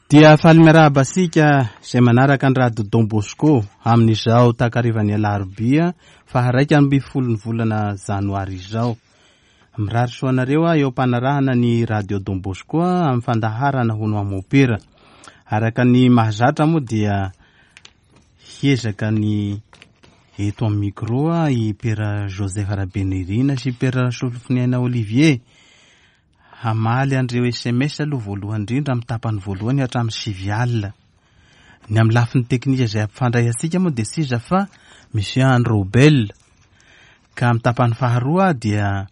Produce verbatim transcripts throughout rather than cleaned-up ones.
Dia faly miarahaba antsika izay manaraka ny Radio Don Bosco amin'izao takarivan'ny alarobia faha iraika ambin'ny folo ny volana janoary izao. Mirary soa anareo eo am-panarahana ny Radio Don Bosco amin'ny fandaharana hono amopera. Araka ny mahazatra moa dia hiezaka ny eto amin'ny micro i Père Joseph Rabenirina sy Père Solofoniaina Olivier. Hamaly an'ireo S M S aloha voalohany indrindra amin'ny tapany voalohany hatramin'ny sivy alina. Ny amin'ny lafiny teknika izay ampifandray antsika moa dia tsy iza fa Monsieur André Robel. Ka amin'ny tapany faharoa dia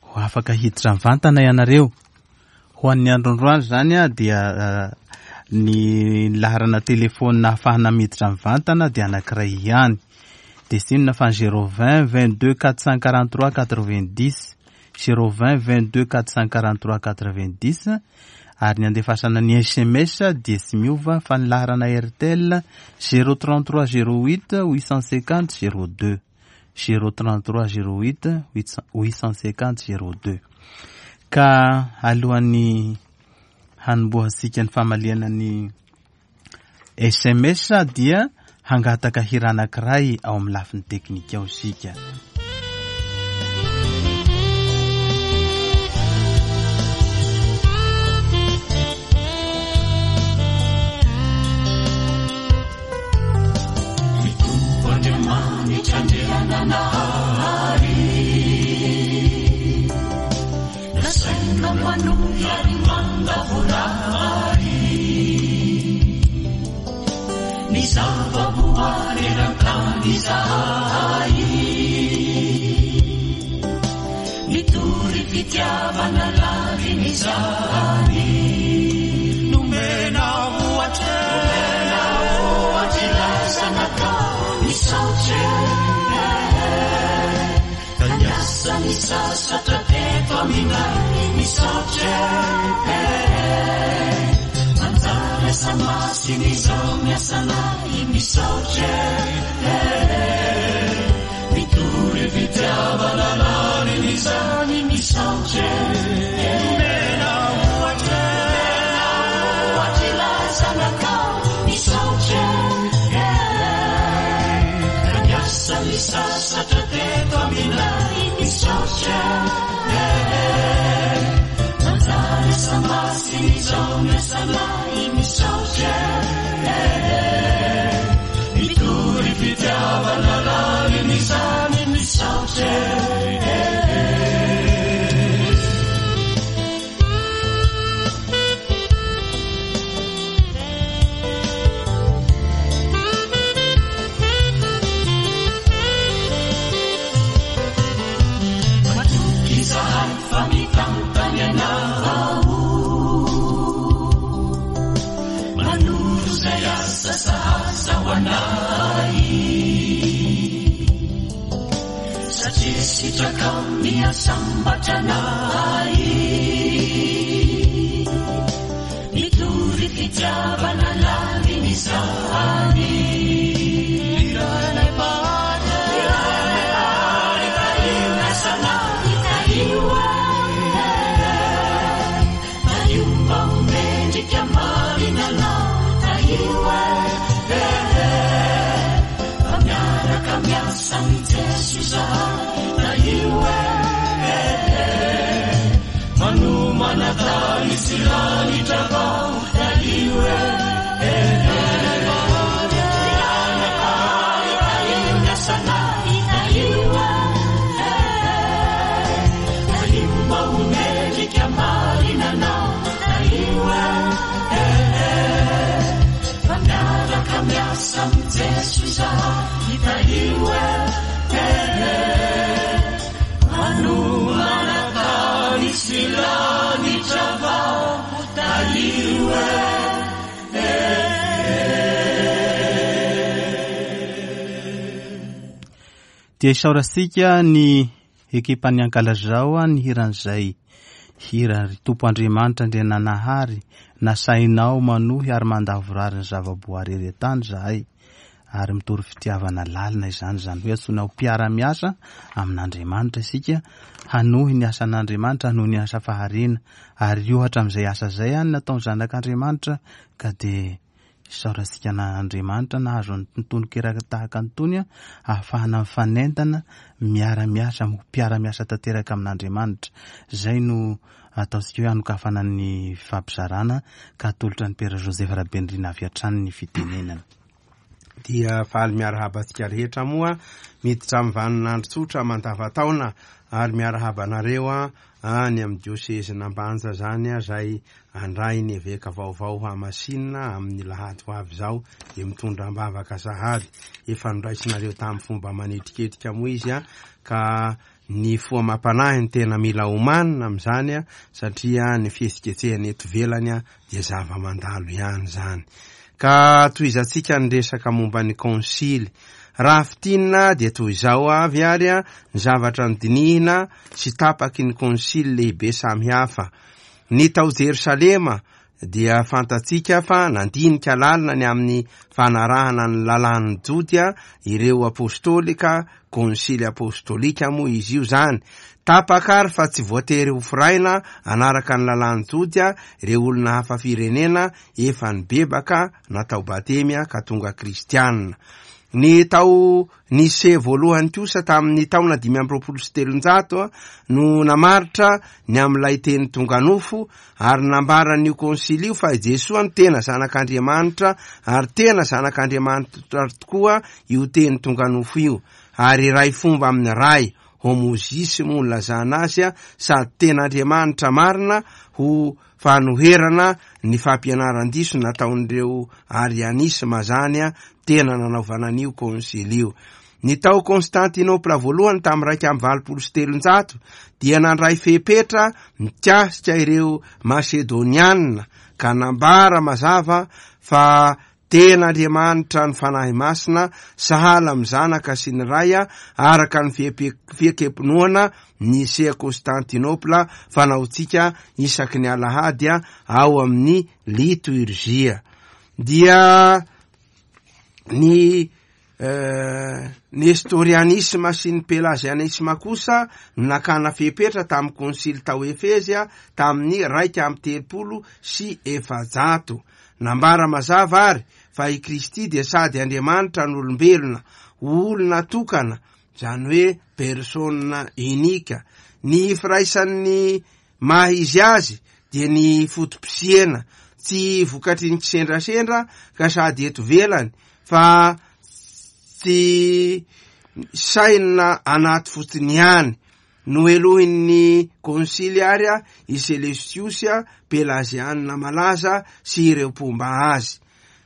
ho afaka hiditra mivantana ianareo. Ho an'ny androandroany izany dia ny laharana telefônina ahafahana miditra mivantana dia anankiray ihany. Dia tsy inona fa zéro vingt vingt-deux quatre cent quarante-trois quatre-vingt-dix. zéro vingt vingt-deux quatre cent quarante-trois quatre-vingt-dix. Ary ny andefasana ny S M S dia tsy miova fa ny laharana Airtel zéro trente-trois zéro huit huit cent cinquante zéro deux. zéro trente-trois zéro huit huit cent cinquante zéro deux. Ka alohan'ny hanombohantsika ny famaliana ny S M S dia hangataka hira anankiray ao amin'ny lafiny teknika ao isika. Dia isaorantsika ny ekipan'ny Ankalazao ny hiran'izay hira ry Tompo Andriamanitra Andriananahary nasainao manohy ary mandavorary ny zavaboary ery an-tany izahay. ary mitory fitiavana lalina izany, izany hoe antsoina ho mpiara-miasa amin'Andriamanitra isika, hanohy ny asan'Andriamanitra, hanohy ny asa fahariana, ary ohatra amin'izay asa izay any nataon'ny zanak'Andriamanitra, ka dia isaorantsika an'Andriamanitra nahazo ny tononkira tahaka an'itony ahafahana mifanentana, miara-miasa, ho mpiara-miasa tanteraka amin'Andriamanitra. Izay no ataontsika hoe hanokafana ny fampizarana ka atolotra ny Père Joseph Rabenirina avy hatrany ny fitenenana. Dia faly miarahaba antsika rehetra moa miditra amin'ny vaninandro tsotra mandavataona ary miarahaba anareo any amin'ny diosezin'Ambanja zany izay andray ny eveka vaovao Hamasinina amin'ny lahady ho avy izao dia mitondra am-bavaka sahady. Efa noraisinareo tamin'ny fomba manetriketrika moa izy ka ny fo amam-panahy ny tena mila omanina amin'izany satria ny fihetsiketsehana eto ivelany dia zava-mandalo ihany izany. Ka tohizantsika ny resaka momba ny konsily. Raha fintinina dia toy izao avy ary ny zavatra nodinihina sy tapaky ny konsily lehibe samihafa. Ny tao Jerosalema dia fantatsika fa nandinika lalina ny amin'ny fanarahana ny lalàn'ny Jody ireo apôstôly ka konsily apôstôlika moa izy io zany. Tapaka ary fa tsy voatery ho firaina anaraka ny lalàn'ny Jody ireo olona hafa firenena efa nibebaka natao batemy ka tonga kristianina. Ny tao Nise voalohany kosa tamin'ny taona dimy amby roapolo sy telonjato no namaritra ny amin'ilay teny tonga nofo ary nambaran'io konsily io fa i Jesoa no tena zanak'Andriamanitra ary tena zanak'Andriamanitra tokoa io teny tonga nofo io ary iray fomba amin'ny Ray, homozisy moa no lazana azy, sady tena Andriamanitra marina ho fanoherana ny fampianaran-diso nataon'ireo arianisma zany tena nanaovana an'io konsily io. Ny tao Constantinople voalohany tamin'ny raika amby valopolo sy telonjato dia nandray fepetra mikasika ireo Masedonianina ka nambara mazava fa tena Andriamanitra ny Fanahy Masina sahala amin'ny Zanaka sy ny Ray araka ny fiekempinoana Nicée Constantinople fanaontsika isaky ny alahady ao amin'ny liturgia. Dia ny Nestorianisma sy ny Pelagianisma kosa no nakana fepetra tamin'ny konsily tao Efezy tamin'ny raika amby telopolo sy efajato. Nambara mazava ary fa i Kristy dia sady Andriamanitra no olombelona, olona tokana, izany hoe persona unica. Ny firaisan'ny maha izy azy dia ny foto-pisiana, tsy vokatry ny kisendrasendra ka sady eto ivelany fa tsy saina anaty fotsiny ihany. Nohelohin'ny konsily ary i Seleucius Pelagianina malaza sy ireo mpomba azy.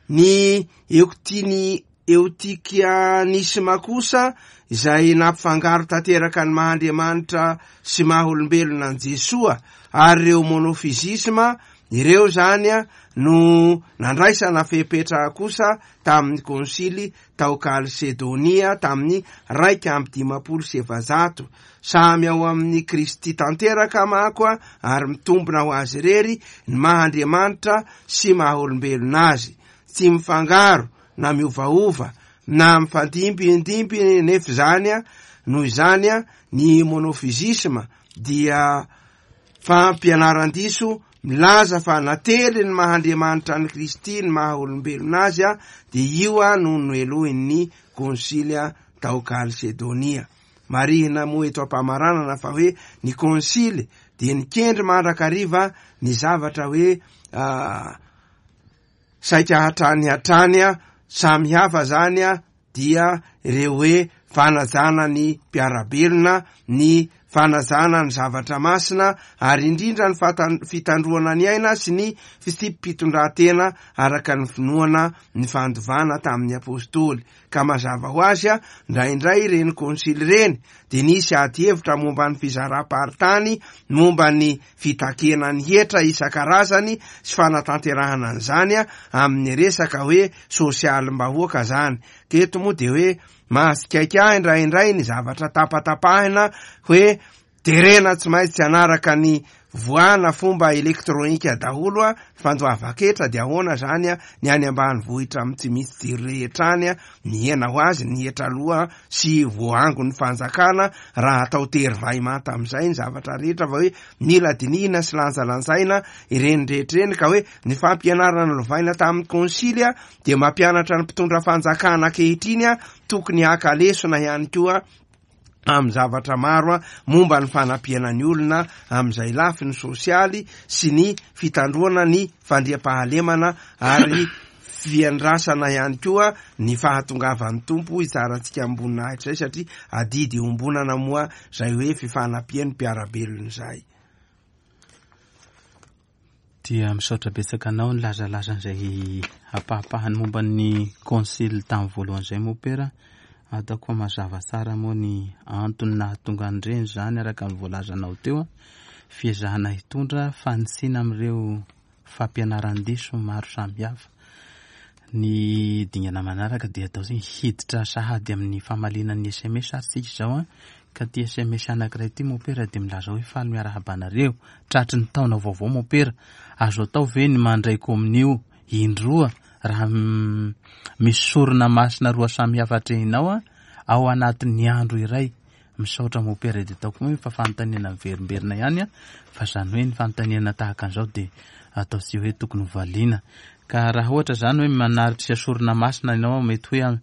Ny Eutini Eutikianisma kosa izay nampifangaro tanteraka ny maha Andriamanitra sy maha olombelona an'i Jesoa ary ireo monofizisma ireo zany no nandraisana fepetra kosa tamin'ny konsily tao Kalsedonia tamin'ny raika amby dimampolo sy efajato. Samy ao amin'ny Kristy tanteraka manko ary mitombina ho azy irery ny maha Andriamanitra sy maha olombelona azy. Tsy mifangaro na miovaova na mifandimbindimby nefa izany. Noho izany ny monofizisma dia fampianaran-diso milaza fa nately ny maha Andriamanitra an'i Kristy ny maha olombelona azy, dia io no nohelohin'ny konsily tao Kalsedonia. Marihina moa eto am-pamaranana fa hoe ny konsily dia nikendry mandrakariva ny zavatra hoe saika hatrany hatrany samy hafa zany dia ireo hoe fanajana ny mpiara-belona, ny fanajana ny zavatra masina ary indrindra ny fitandroana ny aina sy ny fitsipi-pitondran-tena araka ny finoana ny fandovana tamin'ny apôstôly. Ka mazava ho azy indraindray ireny konsily ireny dia nisy ady hevitra momba ny fizaram-paritany, momba ny fitakena ny hetra isan-karazany sy fanatanterahana an'izany amin'ny resaka hoe sosialim-bahoaka zany. Ka eto moa dia hoe mahatsikaiky ahy indraindray ny zavatra tapatapahina hoe terena tsy maintsy hanaraka ny voana fomba elektronika daholo a fandoavan-ketra, dia ahoana zany a ny any ambanivohitra amin'ny tsy misy jiro rehetra any a mihena ho azy ny hetra aloha sy voaangon'ny fanjakana raha atao tery vay manta amin'izay ny zavatra rehetra, fa hoe mila dinihina sy lanjalanjaina ireny rehetra ireny. Ka hoe ny fampianarana lovaina tamin'ny konsily a dia mampianatra ny mpitondra fanjakana ankehitriny a tokony haka lesona ihany koa amin'ny zavatra maro a momba ny fanampiana ny olona amin'izay lafiny sosialy sy ny fitandroana ny fandriampahalemana ary fiandrasana ihany koa ny fahatongavan'ny Tompo hitsarantsika amboninahitra izay, satria adidy iombonana moa izay hoe fifanampian'ny mpiara-belona izay. Dia misaotra betsaka anao ny lazalazan'izay ampahapahany momba ny konsily tamin'ny voalohany izay mompera. Ataoko fa mazava tsara moa ny antony nahatonga an'ireny zany araka ny voalazanao teo, fiezahana hitondra fanitsiana amin'ireo fampianaran-diso maro samihafa. Ny dingana manaraka dia atao hoe hiditra sahady amin'ny famaliana ny S M S ary tsika izao a, ka ty S M S anankiray ity mompera dia milaza hoe faly miarahaba anareo tratry ny taona vaovao mompera, azo atao ve ny mandray kominio indroa raha misy sorona masina roa samihafa atrehinao a ao anatin'ny andro iray? Misaotra mompera. Dia ataoko hoe fa fanontaniana miverimberina ihany a, fa zany hoe ny fanontaniana tahaka an'izao dia atao tsy hoe tokony ho valiana. Ka raha ohatra zany hoe manaritra sorona masina ianao, mety hoe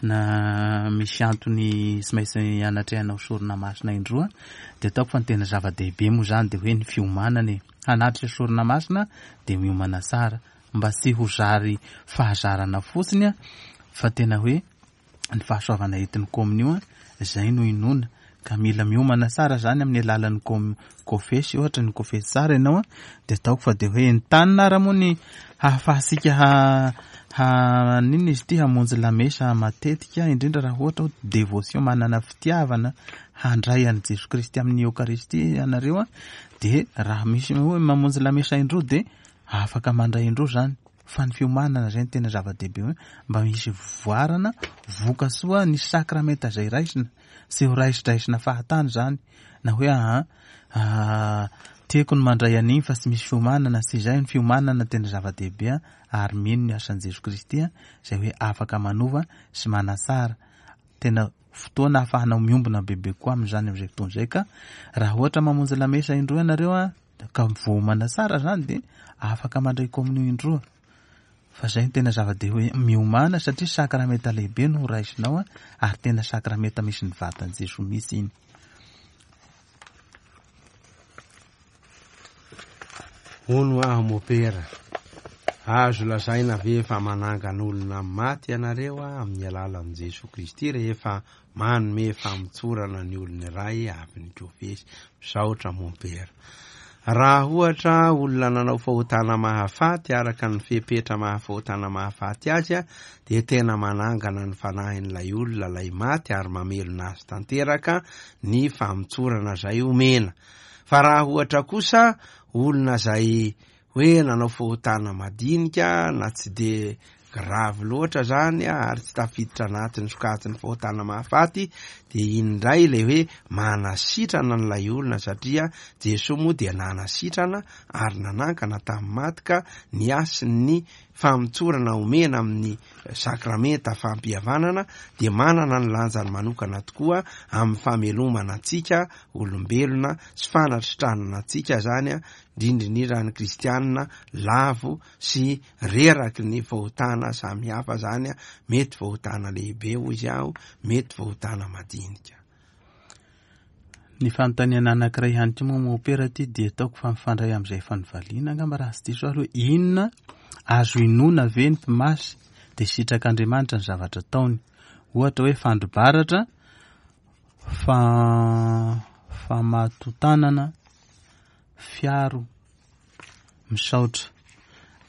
na misy antony tsy maintsy anatrehanao sorona masina indroa, dia ataoko fa ny tena zava-dehibe moa zany dia hoe ny fiomanana e. Hanatrika sorona masina dia miomana tsara mba tsy ho zary fahazarana fotsiny a, fa tena hoe ny fahasoavana entin'ny kominio a, izay no inoana. Ka mila miomana tsara zany amin'ny alalan'ny kom-, kofesy, ohatra ny kofesy tsara ianao a, dia ataoko fa dia hoe entanina ara moa ny hahafahantsika ha-, ha-, n'inona izy ity, hamonjy lamesa matetika, indrindra raha ohatra hoe dévotion, manana fitiavana handray an'i Jesoa Kristy amin'ny Eokaristia ianareo a, dia raha misy hoe mamonjy lamesa indroa dia afaka mandray indroa zany. Fa ny fiomanana zay no tena zava-dehibe hoe mba misy voarana vokasoa ny sakramenta izay raisina, tsy ho raisidraisina fahatany zany, na hoe aha, ah, tiako ny mandray an'iny fa tsy misy fiomanana, tsy izay. Ny fiomanana tena zava-dehibe a, ary mino ny asan'i Jesoa Kristy a, izay hoe afaka manova sy manatsara. Tena fotoana ahafahanao miombona bebe koa amin'izany amin'izay fotoana izay. Ka raha ohatra mamonjy lamesa indroa ianareo a, ka voaomana tsara zany dia afaka mandray kominio indroa. Fa zay no tena zava-dehibe hoe miomana, satria sakramenta lehibe no raisinao a, ary tena sakramenta misy ny vatan'i Jesoa mihitsy iny. Hono aho mopera, azo lazaina ve fa manangan'olona maty ianareo a amin'ny alalan'i Jesoa Kristy rehefa manome famotsorana ny olona iray avy ny kofesy? Misaotra mompera. Raha ohatra olona nanao fahotana mahafaty araka ny fepetra mahafahotana mahafaty azy a, dia tena manangana ny fanahin'ilay olona ilay maty ary mamelona azy tanteraka ny famotsorana izay omena. Fa raha ohatra kosa olona izay hoe nanao fahotana madinika na tsy de grave loatra zany a, ary tsy tafiditra anatin'ny sokajin'ny fahotana mahafaty, dia iny indray ilay hoe manasitrana an'ilay olona, satria Jesoa moa dia nanasitrana ary nanangana tamin'ny maty, ka ny hasin'ny famotsorana omena amin'ny sakramenta fampihavanana dia manana ny lanjany manokana tokoa amin'ny famelomana antsika olombelona sy fanasitranana antsika zany a, indrindra indrindra ny kristianina lavo sy reraky ny fahotana samihafa zany a, mety fahotana lehibe hoy izy aho, mety fahotana madinika. Ny fanontaniana anankiray ihany koa moa mompera ity dia ataoko fa mifandray amin'izay efa novaliana angamba raha tsy diso ary hoe inona azo inoana ve ny mpimasy dia sitrak'Andriamanitra ny zavatra ataony, ohatra hoe fandrobaratra, fa-, famatotanana, fiaro, misaotra.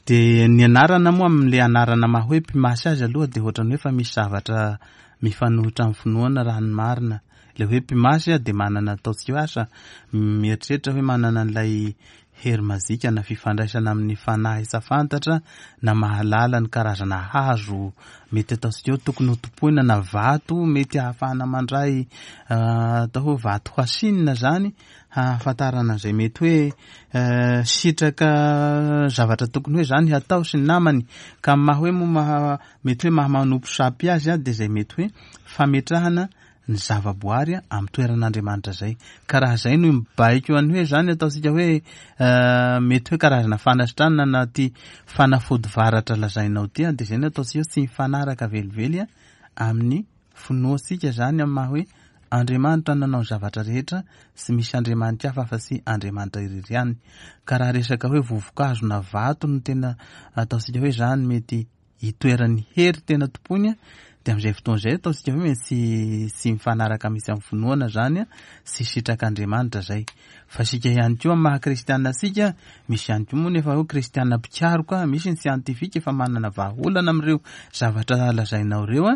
Dia ny anarana moa amin'ilay anarana maha hoe mpimasy azy aloha dia ohatran'ny hoe efa misy zavatra mifanohitra amin'ny finoana raha ny marina. Ilay hoe mpimasy a dia manana ataontsika hoe asa mieritreritra hoe manana an'ilay hery mazika na fifandraisana amin'ny fanahy tsy fantatra na mahalala ny karazana hazo mety ataontsika hoe tokony ho tompoina na vato mety ahafahana mandray atao hoe vato hasinina zany hahafantarana izay mety hoe sitraka zavatra tokony hoe zany hatao sy ny namany. Ka maha hoe moa maha mety hoe maha manompo sampy azy a, dia izay mety hoe fametrahana ny zavaboary amin'ny toeran'Andriamanitra zay. Ka raha zay no mibaiko any hoe zany ataontsika hoe mety hoe karazana fanasitranana na ty fanafody varatra lazainao ty a, dia zay no ataontsika hoe tsy mifanaraka velively a amin'ny finoantsika zany amin'ny maha hoe Andriamanitra nanao ny zavatra rehetra, tsy misy Andriamanitra hafa fa tsy Andriamanitra irery ihany. Ka raha resaka hoe vovokazo na vato no tena ataontsika hoe zany mety hitoeran'ny hery tena tompoiny a, dia amin'izay fotoana izay ataontsika hoe mety tsy, tsy mifanaraka mihitsy amin'ny finoana zany a, tsy sitrak'Andriamanitra zay. Fa isika ihany koa amin'ny maha kristiana antsika, misy ihany koa moa nefa hoe kristiana mpikaroka, misy ny siantifika efa manana vahaolana amin'ireo zavatra lazainao ireo a,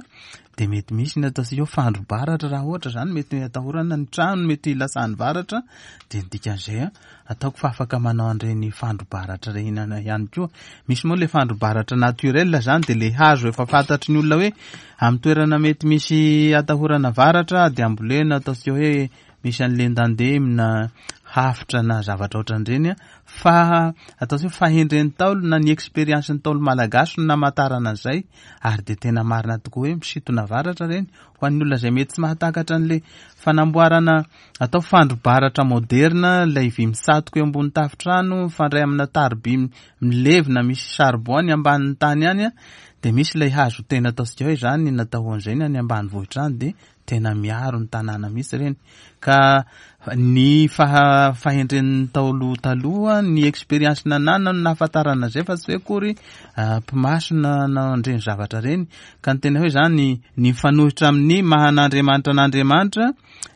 dia mety misy ny ataontsika hoe fandrobaratra raha ohatra zany mety atahorana ny trano mety hilatsahan'ny varatra, dia ny dikan'izay a ataoko fa afaka manao an'ireny fandrobaratra ireny ihany koa. Misy moa le fandrobaratra naturel zany, dia le hazo efa fantatry ny olona hoe amin'ny toerana mety misy atahorana varatra dia ambolena ataontsika hoe misy an'le ndandemy na hafitra na zavatra ohatran'ireny a, fa ataontsika hoe fahendren'ny Ntaolo na ny expérience ny Ntaolo malagasy no namantarana an'izay, ary dia tena marina tokoa hoe misintona varatra ireny. Ho an'ny olona izay mety tsy mahatakatra an'le fanamboarana atao fandrobaratra moderna, ilay vy mitsatoka eo ambony tafontrano mifandray amina tariby milevina misy charbon any ambanin'ny tany any a, dia misy ilay hazo tena ataontsika hoe zany natao ho an'izay ny any ambanivohitra any, dia tena miaro ny tanàna mihitsy ireny. Ka ny faha-, fahendren'ny Ntaolo taloha, ny expérience nananany no nahafantarana an'izay, fa tsy hoe akory mpimasina na an'ireny zavatra ireny. Ka ny tena hoe zany ny mifanohitra amin'ny maha an'Andriamanitra an'Andriamanitra,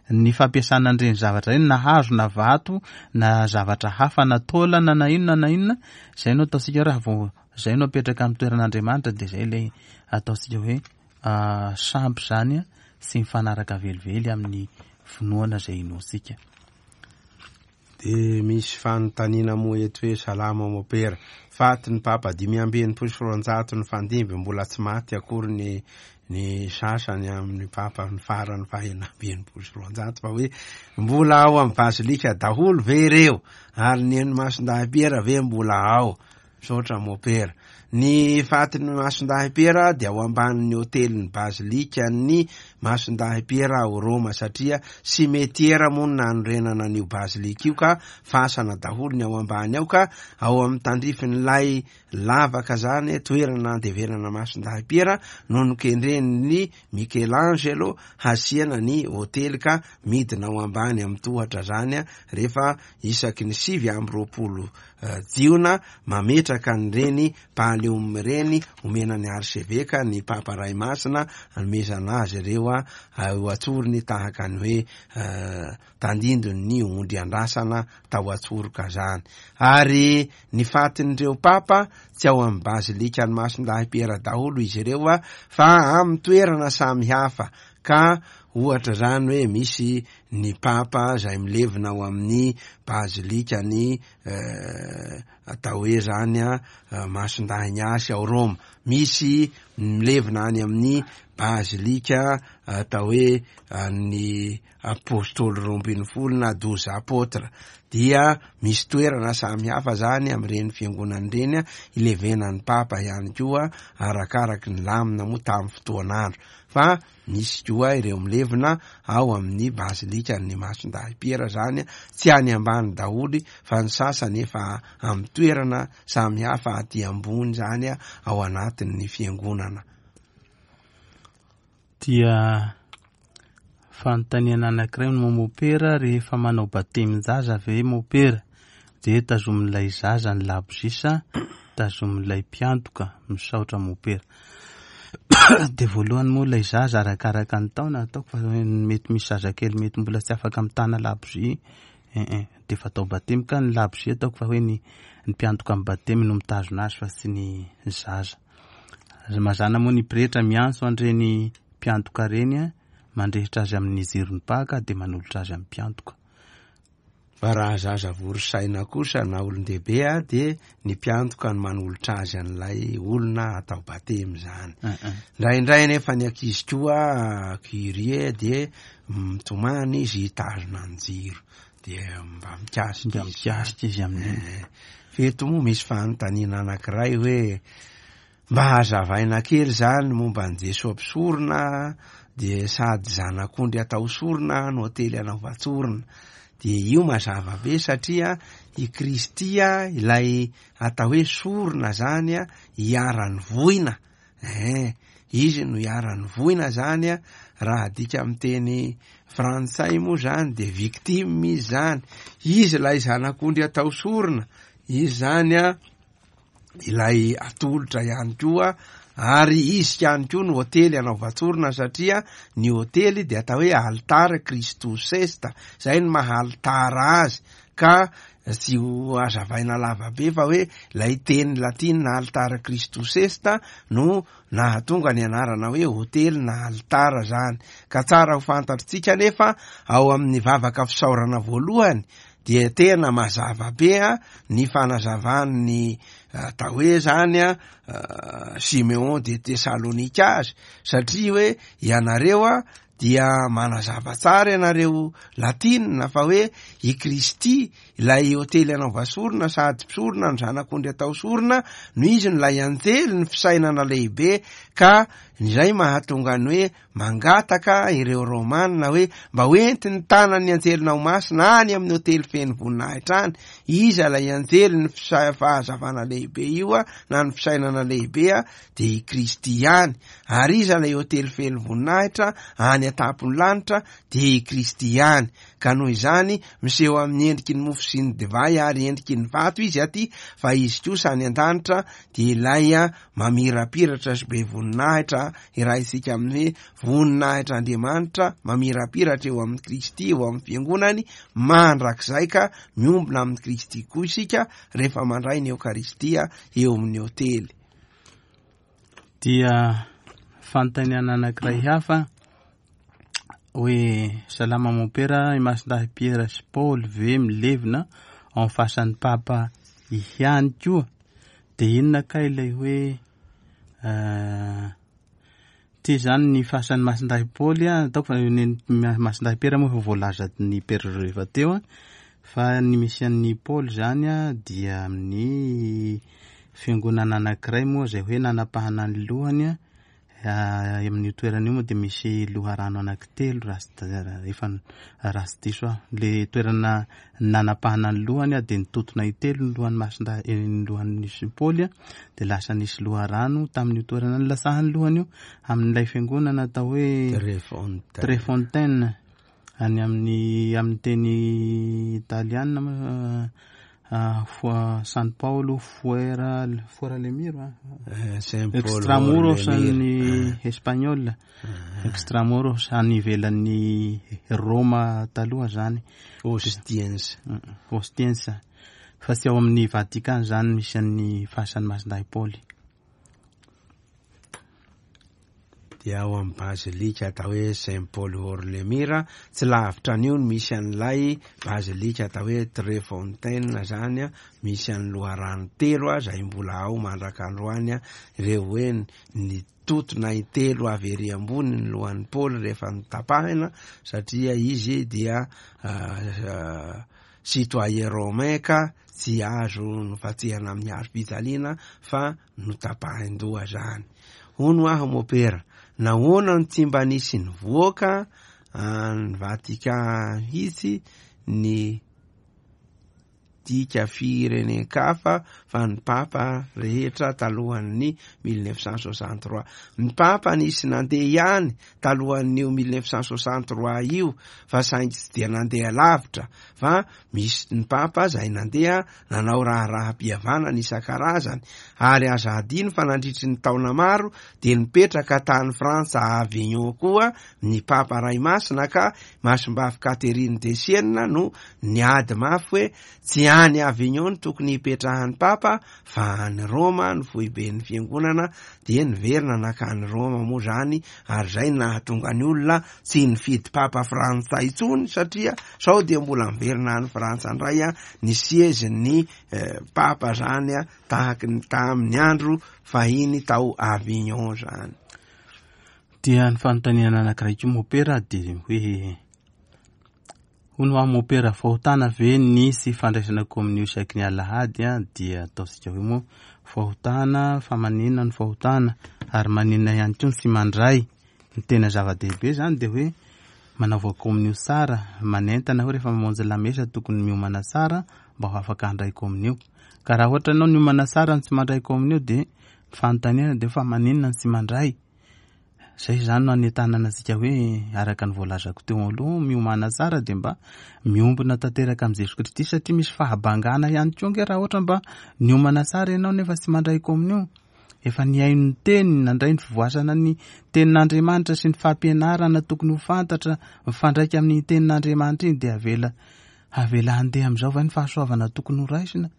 ny fampiasana an'ireny zavatra ireny, na hazo na vato na zavatra hafa na taolana na inona na inona, izay no ataontsika hoe raha vao izay no apetraka amin'ny toeran'Andriamanitra, dia izay ilay ataontsika hoe sampy zany a, tsy mifanaraka velively amin'ny finoana izay inoantsika. Dia misy fanontaniana moa eto hoe salama mopera, faty ny papa dimy amby enimpolo sy roanjato ny fandimby, mbola tsy maty akory ny, ny sasany amin'ny papa ny farany fahenina amby enimpolo sy roanjato, fa hoe mbola ao amin'ny bazilika daholo ve ireo, ary ny eny Masindahy Piera ve mbola ao? Misaotra mopera. Ny fatin'ny Masindahy Piera dia ao ambanin'ny hotelin'ny bazilikan'ny Masindahy Piera ao Roma, satria simetiera moa no nanorenana an'io bazilika io, ka fasana daholo ny ao ambany ao, ka ao amin'ny tandrifin'ilay lavaka zany toerana andevenana Masindahy Piera no nokendren'ny Michelangelo hasiana ny hotely, ka midina ao ambany amin'ny tohatra zany rehefa isaky ny sivy amby roapolo jiona mametraka an'ireny pallium ireny omena ny arseveka ny papa ray masina anomezana azy ireo a ho atsorony tahaka ny hoe tandindon'ny ondry andrasana tao atsoroka zany. Ary ny fatin'ireo papa tsy ao amin'ny bazilika ny Masindahy Piera daholo izy ireo a, fa amin'ny toerana samy hafa, ka ohatra zany hoe misy ny papa izay milevina ao amin'ny bazilika ny atao hoe zany a Masindahy Ignace ao Roma, misy milevina any amin'ny bazilika atao hoe ny apôstôly roa ambin'ny folo na douze apôtres, dia misy toerana samy hafa zany amin'ireny fiangonana ireny a ilevenan'ny papa ihany koa, arakaraky ny lamina moa tamin'ny fotoan'andro, fa misy koa ireo milevina ao amin'ny bazilika ny Masindahy Piera zany, tsy any ambany daholo fa ny sasany efa amin'ny toerana samy hafa aty ambony zany ao anatin'ny fiangonana. Dia fanontaniana anankiray no mopera, rehefa manao batemin-jaza ve mopera dia tazomin'ilay zaza ny labozisa, tazomin'ilay mpiantoka? Misaotra mopera. Dia voalohany moa ilay zaza arakaraka ny taona, ataoko fa mety misy zazakely mety mbola tsy afaka mitana labozia, eh, eh, dia efa atao batemy, ka ny labozia ataoko fa hoe ny, ny mpiantoka amin'ny batemy no mitazona azy fa tsy ny zaza. Mazàna moa ny pretra miantso an'ireny mpiantoka ireny a, mandrehitra azy amin'ny jiron'ny paka dia manolotra azy amin'ny mpiantoka. Fa raha zaza vory saina kosa na olon-dehibe a dia ny mpiantoka no manolotra azy an'ilay olona atao batemy zany. Indraindray nefa ny ankizy koa curie dia mitomany izy hitazona ny jiro dia mba mikasika Mba mikasika izy amin'iny. Eh, Feto moa misy fanontaniana anankiray hoe mba hazavaina kely zany momba an'i Jesoa mpisorona dia sady zanak'ondry atao sorona no hotely anaovan-tsorona. Dia io mazava be satria i Kristy a, ilay atao hoe sorona zany a, iharan'ny voina. Eh, izy no iharan'ny voina zany a, raha adika amin'ny teny frantsay moa zany dia victime izy zany. Izy ilay zanak'ondry atao sorona, izy zany a ilay atolotra ihany koa, ary izy ihany koa no hotely anaovan-tsorona satria ny hotely dia atao hoe altare Christus est, zay no maha altara azy, ka tsy ho hazavaina lava be fa hoe ilay teny latina altare Christus est no nahatonga ny anarana hoe hotely na altara zany. Ka tsara ho fantatritsika nefa ao amin'ny vavaka fisaorana voalohany dia tena mazava be a ny fanazavan'ny atao hoe zany a Simeon de Thessalonika azy, satria hoe ianareo a dia manazava tsara ianareo latinina fa hoe i Kristy ilay hotely anaova sorona sady mpisorona ny zanak'ondry atao sorona no izy no ilay anjely ny fisainana lehibe, ka izay mahatonga ny hoe mangataka ireo Romanina hoe mba hoentiny tanan'ny anjelinao masina any amin'ny hotely feno voninahitra any. Iza ilay anjely ny fisa-, fahazavana lehibe io a, na ny fisainana lehibe a, dia i Kristy ihany. Ary iza ilay hotely feno voninahitra any an-tampon'ny lanitra, dia i Kristy ihany. Ka noho izany miseho amin'ny endriky ny mofo sy ny divay ary endriky ny vato izy aty, fa izy kosa any an-danitra dia ilay a mamirapiratra sy be voninahitra, iraisika amin'ny hoe voninahitra Andriamanitra mamirapiratra eo amin'ny Kristy, eo amin'ny fiangonany mandrakizay, ka miombona amin'ny Kristy koa isika rehefa mandray ny Eokaristia eo amin'ny hotely. Dia fanontaniana anankiray hafa hoe salama mompera, i Masindahy Piera sy Paoly ve milevina ao amin'ny fasan'ny Papa ihany koa? Dia inona kay ilay hoe, eh, ty zany ny fasan'ny Masindahy Paoly a, ataoko fa ny Masindahy Piera moa efa voalaza ny Père Joseph teo a, fa ny misy an'ny Paoly zany a dia amin'ny fiangonana anankiray moa izay hoe nanapahana ny lohany a, ah, amin'io toerana io moa dia misy loharano anankitelo raha tsy da-, efa raha tsy diso aho. Le toerana nanapahana ny lohany a dia nitotona intelo ny lohan'ny Masindahy, eh, ny lohan'ny Paoly a, dia lasa nisy loharano tamin'io toerana nilatsahan'ny lohany io, amin'ilay fiangonana atao hoe Trefontaine. Trefontaine, any amin'ny, amin'ny teny italiana moa, ah, Fo-, San Paolo Fuera, Fuera Lemiro, ah. Eh, Saint Paul Extramuros Lemiro. ny Eh. espagnol. Extramuros any ivelan'ny Roma taloha zany. Ostiense. Mm, Ostiense. Fa tsy ao amin'ny Vatican zany misy an'ny fasan'ny Masindahy Paoly. Dia ao amin'ny bazilika atao hoe Saint Paul Hors-les-Murs, tsy lavitra an'io no misy an'ilay bazilika atao hoe Trefontaine zany a, misy an'ny loharano telo a, izay mbola ao mandrak'androany a, ireo hoe ny totona intelo avy ery ambony ny lohan'ny Paoly rehefa notapahina, satria izy dia, ah, ah, citoyen romain ka tsy azo nofatsehana amin'ny hazo fijaliana fa notapahin-doha zany. Hono aho mopera, nahoana no tsy mba nisy nivoaka any Vatican mihitsy ny dika firenen-kafa fa ny papa rehetra talohan'ny mille neuf cent soixante-trois. Ny papa nisy nandeha ihany talohan'io mille neuf cent soixante-trois io, fa saingy tsy dia nandeha lavitra, fa misy ny papa izay nandeha nanao raharaham-pihavanana isan-karazany, ary aza adino fa nandritry ny taona maro dia nipetraka tany Frantsa Avignon koa ny papa Ray Masina, ka Masimbavy Catherine de Sienne no niady mafy hoe tsy any Avignon no tokony hipetrahan'ny Papa fa any Roma ny foiben'ny fiangonana, dia niverina nankany Roma moa zany, ary zay nahatonga ny olona tsy nifidy Papa frantsay intsony satria sao dia mbola miverina any Frantsa indray a ny siezin'ny eh, Papa zany a, tahaky ny tamin'ny andro fahiny tao Avignon zany. Dia ny fanontaniana anankiray koa mopera dia hoe hono aho mopera, fahotana ve ny sy fandraisana kominio isaky ny alahady a? Dia ataontsika hoe moa fahotana, fa maninona ny fahotana ary maninona ihany koa ny tsy mandray? Ny tena zava-dehibe zany dia hoe manaova kominio tsara, manentana hoe rehefa mamonjy lamesa tokony miomana tsara mba ho afaka handray kominio. Ka raha ohatra anao niomana tsara ny tsy mandray kominio dia fanontaniana dia fa maninona ny tsy mandray? Zay zany no anentanana antsika hoe araka ny voalazako teo aloha, miomana tsara dia mba miombona tanteraka amin'i Jesoa Kristy, satria misy fahabangana ihany koa nge raha ohatra mba niomana tsara ianao nefa tsy mandray kominio. Efa nihaino ny teny, nandray ny fivoasana ny tenin'Andriamanitra sy ny fampianarana tokony ho fantatra mifandraika amin'ny tenin'Andriamanitra iny, dia avela avela handeha amin'izao va ny fahasoavana tokony ho raisina?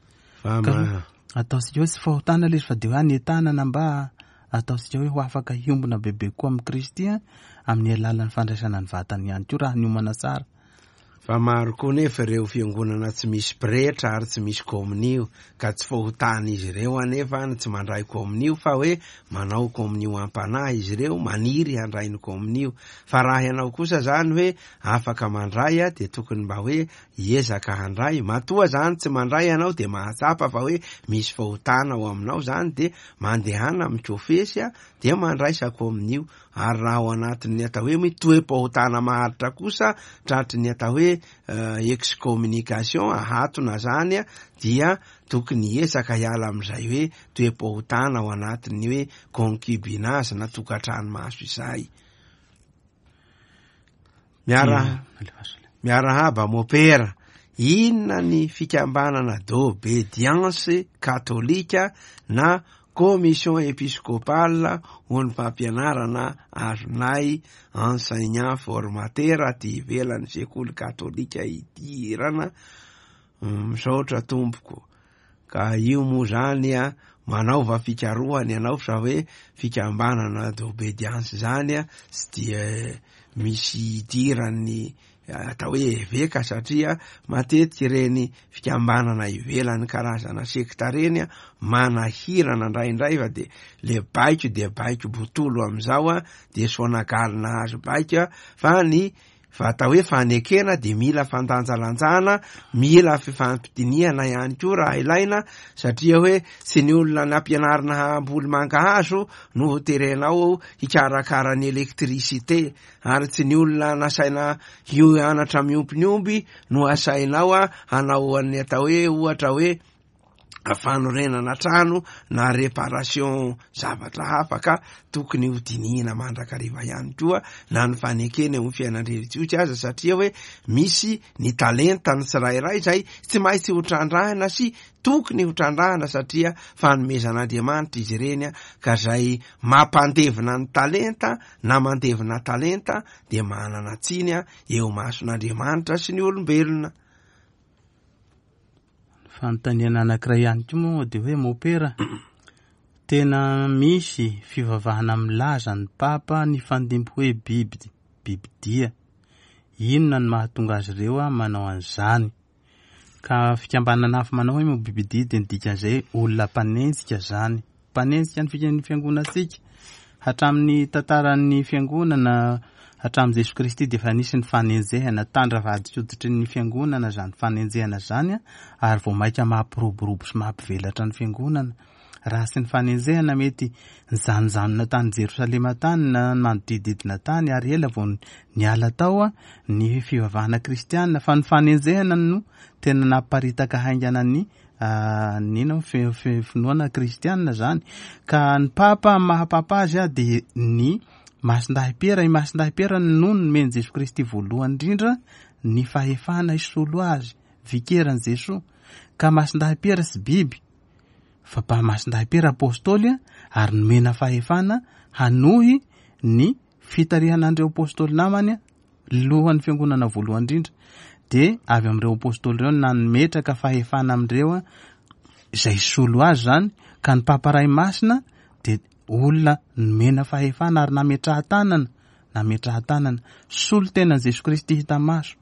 Fa Ka ma- ataontsika hoe tsy fahotana ilay izy fa dia hoe anentanana mba ataontsika hoe ho afaka hiombona bebe kokoa amin'i Kristy a, amin'ny alalan'ny fandraisana ny vatany ihany koa raha niomana tsara. Fa maro koa nefa ireo fiangonana tsy misy pretra ary tsy misy kominio, ka tsy fahotana izy ireo anefa ny tsy mandray kominio, fa hoe manao kominio am-panahy izy ireo, maniry handray ny kominio. Fa raha ianao kosa zany hoe afaka mandray a, dia tokony mba hoe hiezaka handray. Matoa zany tsy mandray ianao dia mahatsapa fa hoe misy fahotana ao aminao zany, dia mandehana mikofesy a, dia mandraisa kominio. Ary raha ao anatin'ny atao hoe toe-pahotana maharitra kosa, tratry ny atao hoe, eh, excommunication, ahatona zany a, dia tokony hiezaka hiala amin'izay hoe toe-pahotana ao anatin'ny hoe concubinage na tokantrano maso izay. Miara- miarahaba mopera, inona ny fikambanana d'obédience katolika na commission épiscopale ho ny fampianarana azonay enseignant formateur aty ivelan'ny sekoly katolika idirana? Misaotra tompoko. Ka io moa zany a, manaova fikarohana ianao fa hoe fikambanana d'obédience zany a, tsy dia misy idiran'ny atao hoe eveka, satria matetika ireny fikambanana ivelan'ny karazana sekta reny a, manahirana indraindray, fa de le baiko de baiko botolo amizao a, de sonagaly nahazo baiko a, fa ny fa atao hoe fanekena de mila fandanjalanjana, mila fifampidinihana ihany koa raha ilaina, satria hoe tsy ny olona nampianarina hamboly mangahazo no ho terenao hikarakara ny électricité, ary tsy ny olona nasaina hianatra miompy ny omby no asainao a hanao ny atao hoe ohatra hoe fanorenana trano na réparation zavatra hafa. Ka tokony ho dinihina mandrakariva ihany koa na ny fanekena eo amin'ny fiainan-drelijiozy aza, satria hoe misy ny talenta ny tsirairay zay tsy maintsy ho trandrahina sy tokony ho trandrahina, satria fanomezan'Andriamanitra izy ireny a, ka zay mampandevina ny talenta na mandevina talenta dia manana tsiny a eo mason'Andriamanitra sy ny olombelona. Fanontaniana anankiray ihany koa moa dia hoe mopera, tena misy fivavahana milaza ny papa ny fandimby hoe biby, bibidia. Inona no mahatonga azy ireo a manao an'izany? Ka fikambanana hafa manao hoe moa bibidia dia ny dikan'izay olona mpanenjika zany. Mpanenjika ny fika-, ny fiangonantsika. Hatramin'ny tantaran'ny fiangonana, hatramin'i Jesoa Kristy dia efa nisy ny fanenjehana, tandra-vadin-koditry ny fiangonana zany fanenjehana zany a, ary vao mainka mampiroborobo sy mampivelatra ny fiangonana. Raha tsy ny fanenjehana mety nijanonjanona tany Jerosalema tany na manodidididina tany ary ela vao niala tao a ny fivavahana kristianina, fa ny fanenjehana no tena namparitaka haingana ny, ah, ny ino, fi-, fi-, finoana kristianina zany. Ka ny papa, maha papa azy a, dia ny Masindahy Piera, i Masindahy Piera no nomen'i Jesoa Kristy voalohany indrindra ny fahefana hisolo azy, vikeran'i Jesoa. Ka Masindahy Piera tsy biby, fa pa Masindahy Piera apôstôly a, ary nomena fahefana hanohy ny fitarihana an'ireo apôstôly namany a, lohan'ny fiangonana voalohany indrindra. Dia avy amin'ireo apôstôly ireo nametraka fahefana amin'ireo izay solo azy zany, ka ny Papa Ray Masina dia olona nomena fahefana ary nametrahan-tanana, nametrahan-tanana solo tenan'i Jesoa Kristy hita maso.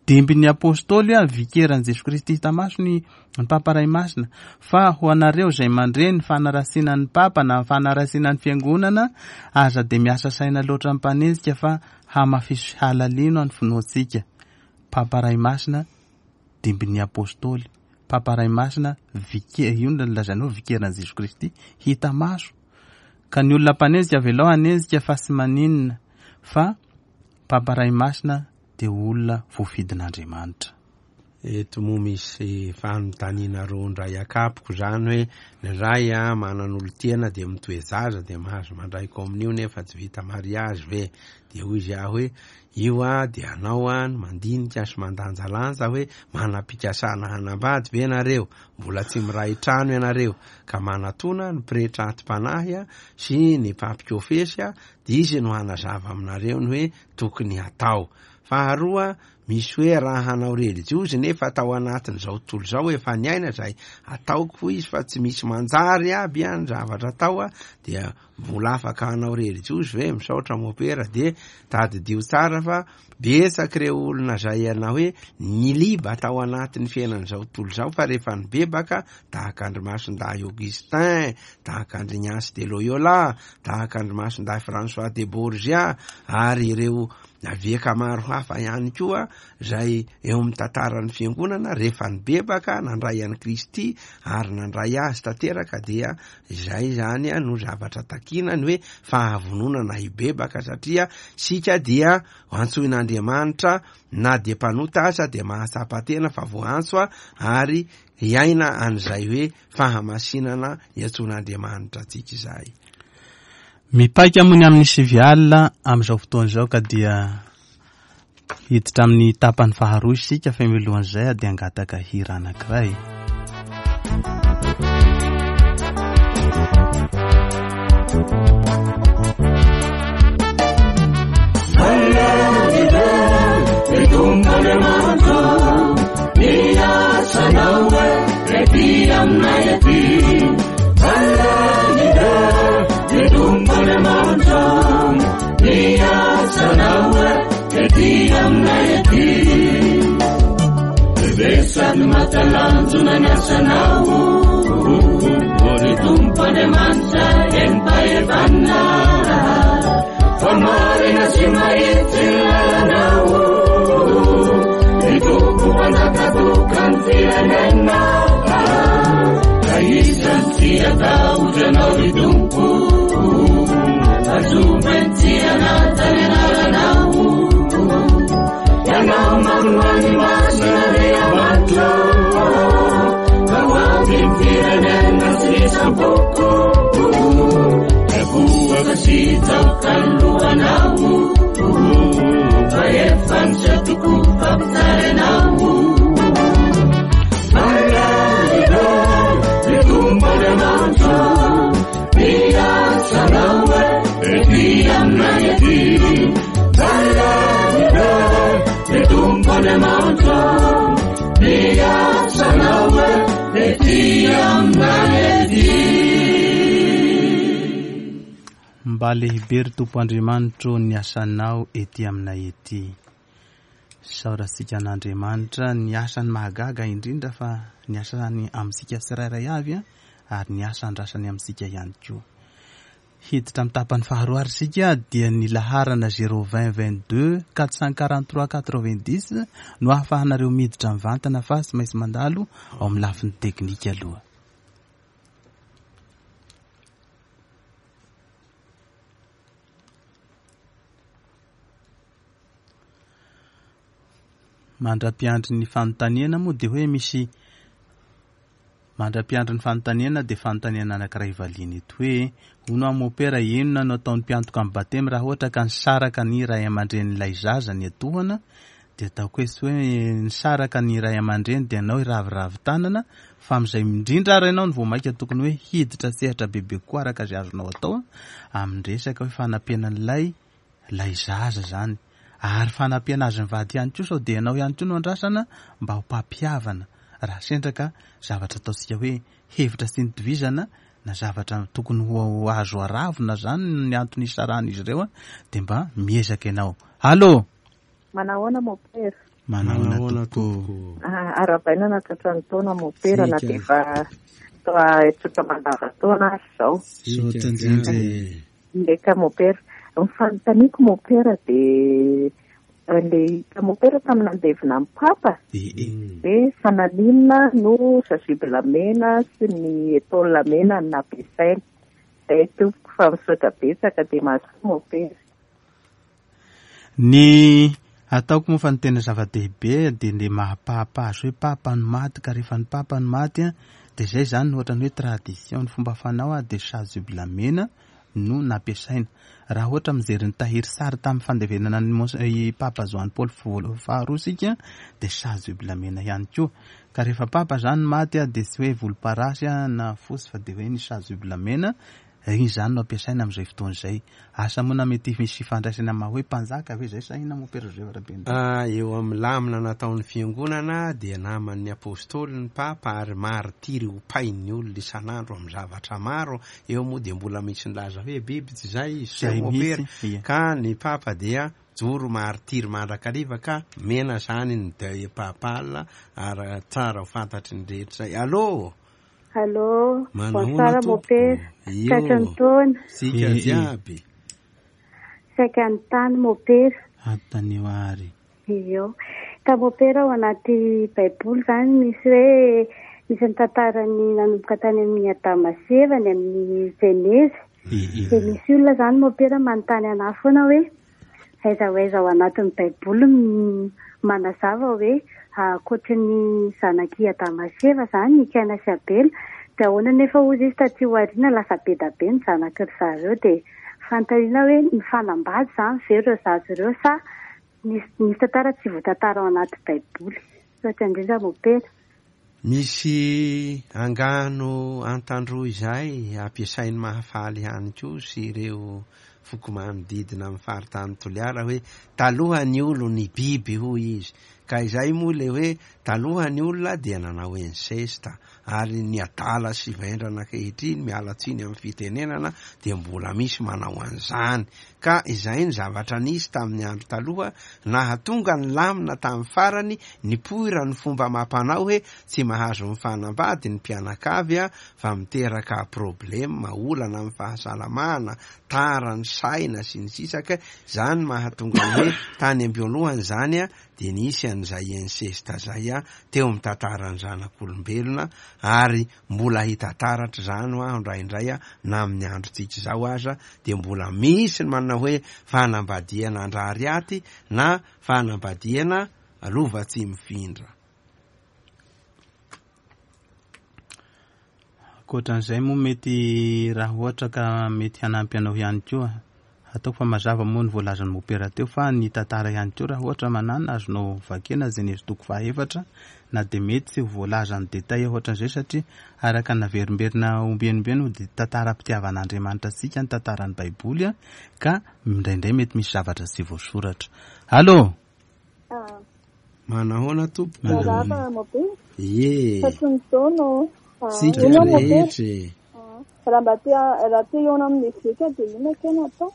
Dimbin'ny apôstôly a vikeran'i Jesoa Kristy hita maso ny, ny Papa Ray Masina. Fa ho anareo izay mandre ny fanarasiana ny Papa na ny fanarasiana ny Fiangonana, aza dia miasa saina loatra amin'ny mpanenjika fa hamafiso halalino ny finoantsika. Papa Ray Masina dimbin'ny apôstôly, Papa Ray Masina vike, io no lazainao vikeran'i Jesoa Kristy hita maso. Ka ny olona mpanenjika avelao hanenjika fa tsy maninona, fa Papa Ray Masina dia olona voafidin'Andriamanitra. Eto moa misy fanontaniana roa indray akapoko zany hoe ny ray a manan'olon-tiana dia mitoe-zaza dia mahazo mandray kominio nefa tsy vita mariazy ve? Dia hoy izy aho hoe io a dia anao a no mandinika sy mandanjalanja hoe manam-pikasana hanambady ve nareo? Mbola tsy miray trano ianareo ka manatona ny pretra atim-panahy a sy ny mpampikofesy a dia izy no hanazava aminareo ny hoe tokony hatao. Faharoa, misy hoe raha hanao relijiozy nefa tao anatin'izao tontolo izao efa niaina izay ataoko izy fa tsy misy manjary aby a ny zavatra atao a dia mbola afaka hanao relijiozy ve? Misaotra mopera. Dia tadidio tsara fa betsaka ireo olona izay ianao hoe niliba tao anatin'ny fiainan'izao tontolo izao fa rehefa nibebaka tahaka an-dry Masindahy Augustin, tahaka an-dry Ignace de Loyola, tahaka an-dry Masindahy François de Borgia ary ireo eveka maro hafa ihany koa izay eo amin'ny tantaran'ny fiangonana rehefa nibebaka nandray an'i Kristy ary nandray azy tanteraka dia izay zany a no zavatra takiana ny hoe fahavononana hibebaka satria sika dia antsoin'Andriamanitra na dia mpanota aza dia mahatsapa tena fa voantso a ary hiaina an'izay hoe fahamasinana iantsoan'Andriamanitra antsika izay. Mipaika moa ny amin'ny sivy alina amin'izao fotoana izao ka dia hiditra amin'ny tapany faharoa isika fa milohan'izay dia hangataka hira anankiray. Mba lehibe ry Tompo Andriamanitro ny asanao ety aminay ety. Saorantsika an'Andriamanitra ny asany mahagaga indrindra fa ny asany amintsika tsirairay avy a, ary ny asa andrasany amintsika ihany koa. Hiditra amin'ny tapany faharoa ary isika dia ny laharana zéro vingt vingt-deux quatre cent quarante-trois quatre-vingt-dix no ahafahanareo miditra mivantana fa tsy maintsy mandalo ao amin'ny lafiny teknika aloha. Mandra-piandry ny fanontaniana moa dia hoe misy mandra-piandry ny fanontaniana dia fanontaniana anankiray valiana eto hoe hono aho mopera inona no ataon'ny mpiantoka amin'ny batemy raha ohatra ka nisaraka ny ray aman-drenin'ilay zaza ny atohana dia ataoko hoe tsy hoe nisaraka ny ray aman-dreny dia anao hiraviravy tanana fa amin'izay indrindra ary ianao no vao mainka tokony hoe hiditra sehatra bebe kokoa araka izay azonao atao amin'ny resaka hoe fanampiana an'ilay ilay zaza zany. Ary fanampiana azy mivady ihany koa sao dia ianao ihany koa no andrasana mba ho mpampihavana raha sendra ka zavatra ataontsika hoe hevitra tsy nitovizana na zavatra tokony ho azo aravina zany ny antony isarahan'izy ireo, dia mba miezaka ianao. Allô? Manahoana mopera? Manahoana tompoko? Arahabaina nahatratra ny taona mopera na dia efa toa tsotra mandavan-taona ary izao. Misaotra indrindra. Eka mopera. Ny fanontaniako mopera dia ilay hita mopera tamin'ny nandevina ny papa dia fa naninona no chasuble mena sy ny étole mena no nampiasaina. Izay tompoko fa misaotra betsaka dia mahasoa mopera. Ny ataoko moa fa ny tena zava-dehibe dia ny mahapapa azy hoe papa no maty, ka rehefa ny papa no maty dia izay zany no ohatran'ny hoe tradition ny fomba fanao dia chasuble mena no nampiasaina. Raha ohatra mijery ny tahiry sary tamin'ny fandevenana ny Mons-, i Papa Joany Paoly faharoa isika dia chasuble mena ihany koa. Ka rehefa papa zany maty dia tsy hoe volomparasy na fotsy fa dia hoe ny chasuble mena iny zany no ampiasaina amin'izay fotoana izay. Asa moa na mety misy fifandraisana maha hoe mpanjaka ve izay sa inona moa Père Joseph Rabenirina? Ah, eo amin'ny lamina nataon'ny fiangonana dia naman'ny apôstôly ny papa ary martiry ho pain'ny olona isan'andro amin'ny zavatra maro. Eo moa dia mbola misy nilaza hoe biby tsy izay izy, Izay moa mihitsy, Père. ia. Ka ny papa dia joro martiry mandrakariva ka mena zany ny deuil papal ary tsara ho fantatry ny rehetra izay. Allô? Allô, Manahoana bonsoir, tompoko? mon père. Io. Tratry ny taona. Sika Eh, eh. jiaby. Saika ny tany, mon père. Antanio ary. Io. Ka mon père ao anaty Baiboly zany misy hoe misy ny tantarany nanomboka tany amin'ny Adama sy Eva ny amin'ny Jenezy. Eh, eh. Dia misy olona zany mon père manontany anahy foana hoe aiza ho aiza ao anatin'ny Baiboly m-, manazava hoe ankoatry ny zanak'i Adama sy Eva zany i Kaina sy Abela. Dia ahoana nefa hozy izy taty aoriana lasa be dia be ny zanaky ry zareo. Dia fanontaniana hoe nifanambady zany ve ireo zaza ireo sa nisy, nisy tantara tsy voatantara ao anaty Baiboly? Misaotra indrindra mon père. Misy angano antandroy izay ampiasain'ny Mahafaly ihany koa sy ireo foko manodidina amin'ny faritany Toliara hoe taloha ny olo ny biby hoy izy. Ka izay moa le hoe taloha ny olona dia nanao inceste ary ny adala sy vendrana ankehitriny miala tsiny amin'ny fitenenana dia mbola misy manao an'izany. Ka izay ny zavatra nisy tamin'ny andro taloha nahatonga ny lamina tamin'ny farany nipoira ny fomba mampanao hoe tsy mahazo mifanambady ny mpianakavy a, fa miteraka problema, olana amin'ny fahasalamana, tara ny saina sy ny sisa. Ka zany mahatonga ny hoe tany am-boalohany zany a, dia nisy an'izay inceste zay a, teo amin'ny tantaran'ny zanak'olombelona ary mbola hita taratra zany ho aho indraindray a, na amin'ny androntsika izao aza dia mbola misy ny manana hoe fanambadiana andrariaty na fanambadiana lova tsy mifindra. Ankoatran'izay moa mety raha ohatra ka mety hanampy anao ihany koa. Ataoko fa mazava moa ny voalazan'ny mopera teo fa ny tantara ihany koa raha ohatra manana azonao vakena Jenezy toko fahaefatra na dia mety tsy ho voalazan'ny détail ohatran'izay satria araka ny naverimberina ombienimbeny dia tantaram-pitiavan'Andriamanitra antsika ny tantaran'ny Baiboly a, ka indraindray mety misy zavatra tsy voasoratra. Allô? Ah. Manahoana tompoko? Manahoana. Miarahaba, mopera. Ie. Fa tsy ny taona ô. Ah, Tsika inona mopera? rehetra e. Ah, raha mba te ha-, raha te hihaona amin'ny eveka dia inona kay no atao?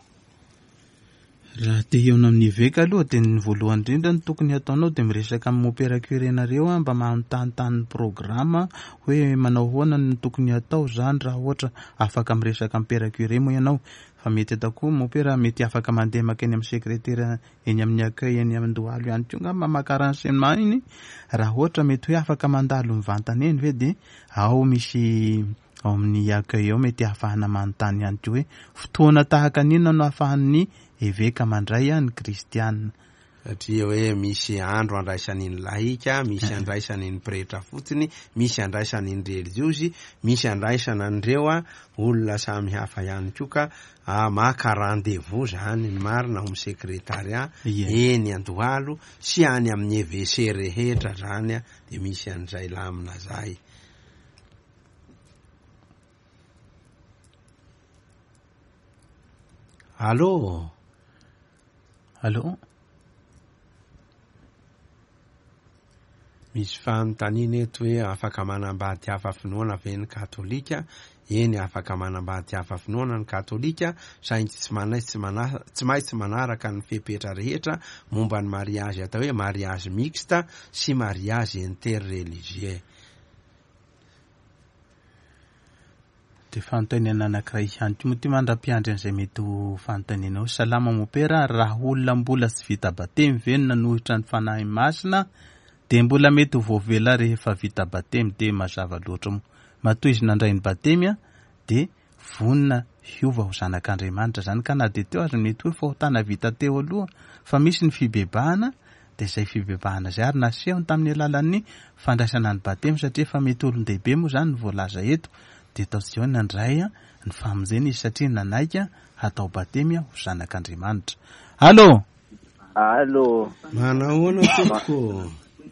Raha te hihaona amin'ny eveka aloha dia ny voalohany indrindra ny tokony hataonao dia miresaka amin'ny mopera curé-nareo a, mba manontanytany ny programme hoe manao ahoana ny tokony hatao zany raha ohatra afaka miresaka amin'ny père curé moa ianao. Fa mety atao koa mopera mety afaka mandeha makeny amin'ny secrétaire eny amin'ny accueil eny amin'ny Andohalo ihany koa angamba maka renseignement iny. Raha ohatra mety hoe afaka mandalo mivantana eny ve dia ao misy ao amin'ny accueil ao mety ahafahana manontany ihany koa hoe fotoana tahaka n'inona no ahafahan'ny eveka mandray ny kristianina. Satria hoe misy andro andraisany ny lahika, misy andraisany ny pretra fotsiny, misy andraisany ny relijiozy, misy andraisana an'ireo a, olona samy hafa ihany koa ka, ah, maka rendez-vous zany ny marina ao amin'ny secrétariat Ie. eny Andohalo sy any amin'ny E V C rehetra zany a, dia misy an'izay lamina zay. Allô? Allô? Misy fanontaniana eto hoe afaka manambady hafa finoana ve ny katolika? Eny, afaka manambady hafa finoana ny katolika, saingy tsy manai- tsy mana- tsy maintsy manaraka ny fepetra rehetra momba ny mariage atao hoe mariage mixte sy mariage interreligieux. Dia fanontaniana anankiray ihany koa moa ity mandra-piandry an'izay mety ho fanontanianao. Salama mopera, raha olona mbola tsy vita batemy ve no nanohitra ny Fanahy Masina dia mbola mety ho voavela rehefa vita batemy? Dia mazava loatra moa. Matoa izy nandray ny batemy a, dia vonona hiova ho zanak'Andriamanitra zany, ka na dia teo aza mety hoe fahotana vita teo aloha fa misy ny fibebahana, dia izay fibebahana izay ary nasehony tamin'ny alalan'ny fandraisana ny batemy, satria efa mety olon-dehibe moa zany ny voalaza eto, dia tao hoe nandray ny famonjena izy satria nanaiky hatao batemy ho zanak'Andriamanitra. Allô? Allô. Manahoana tompoko?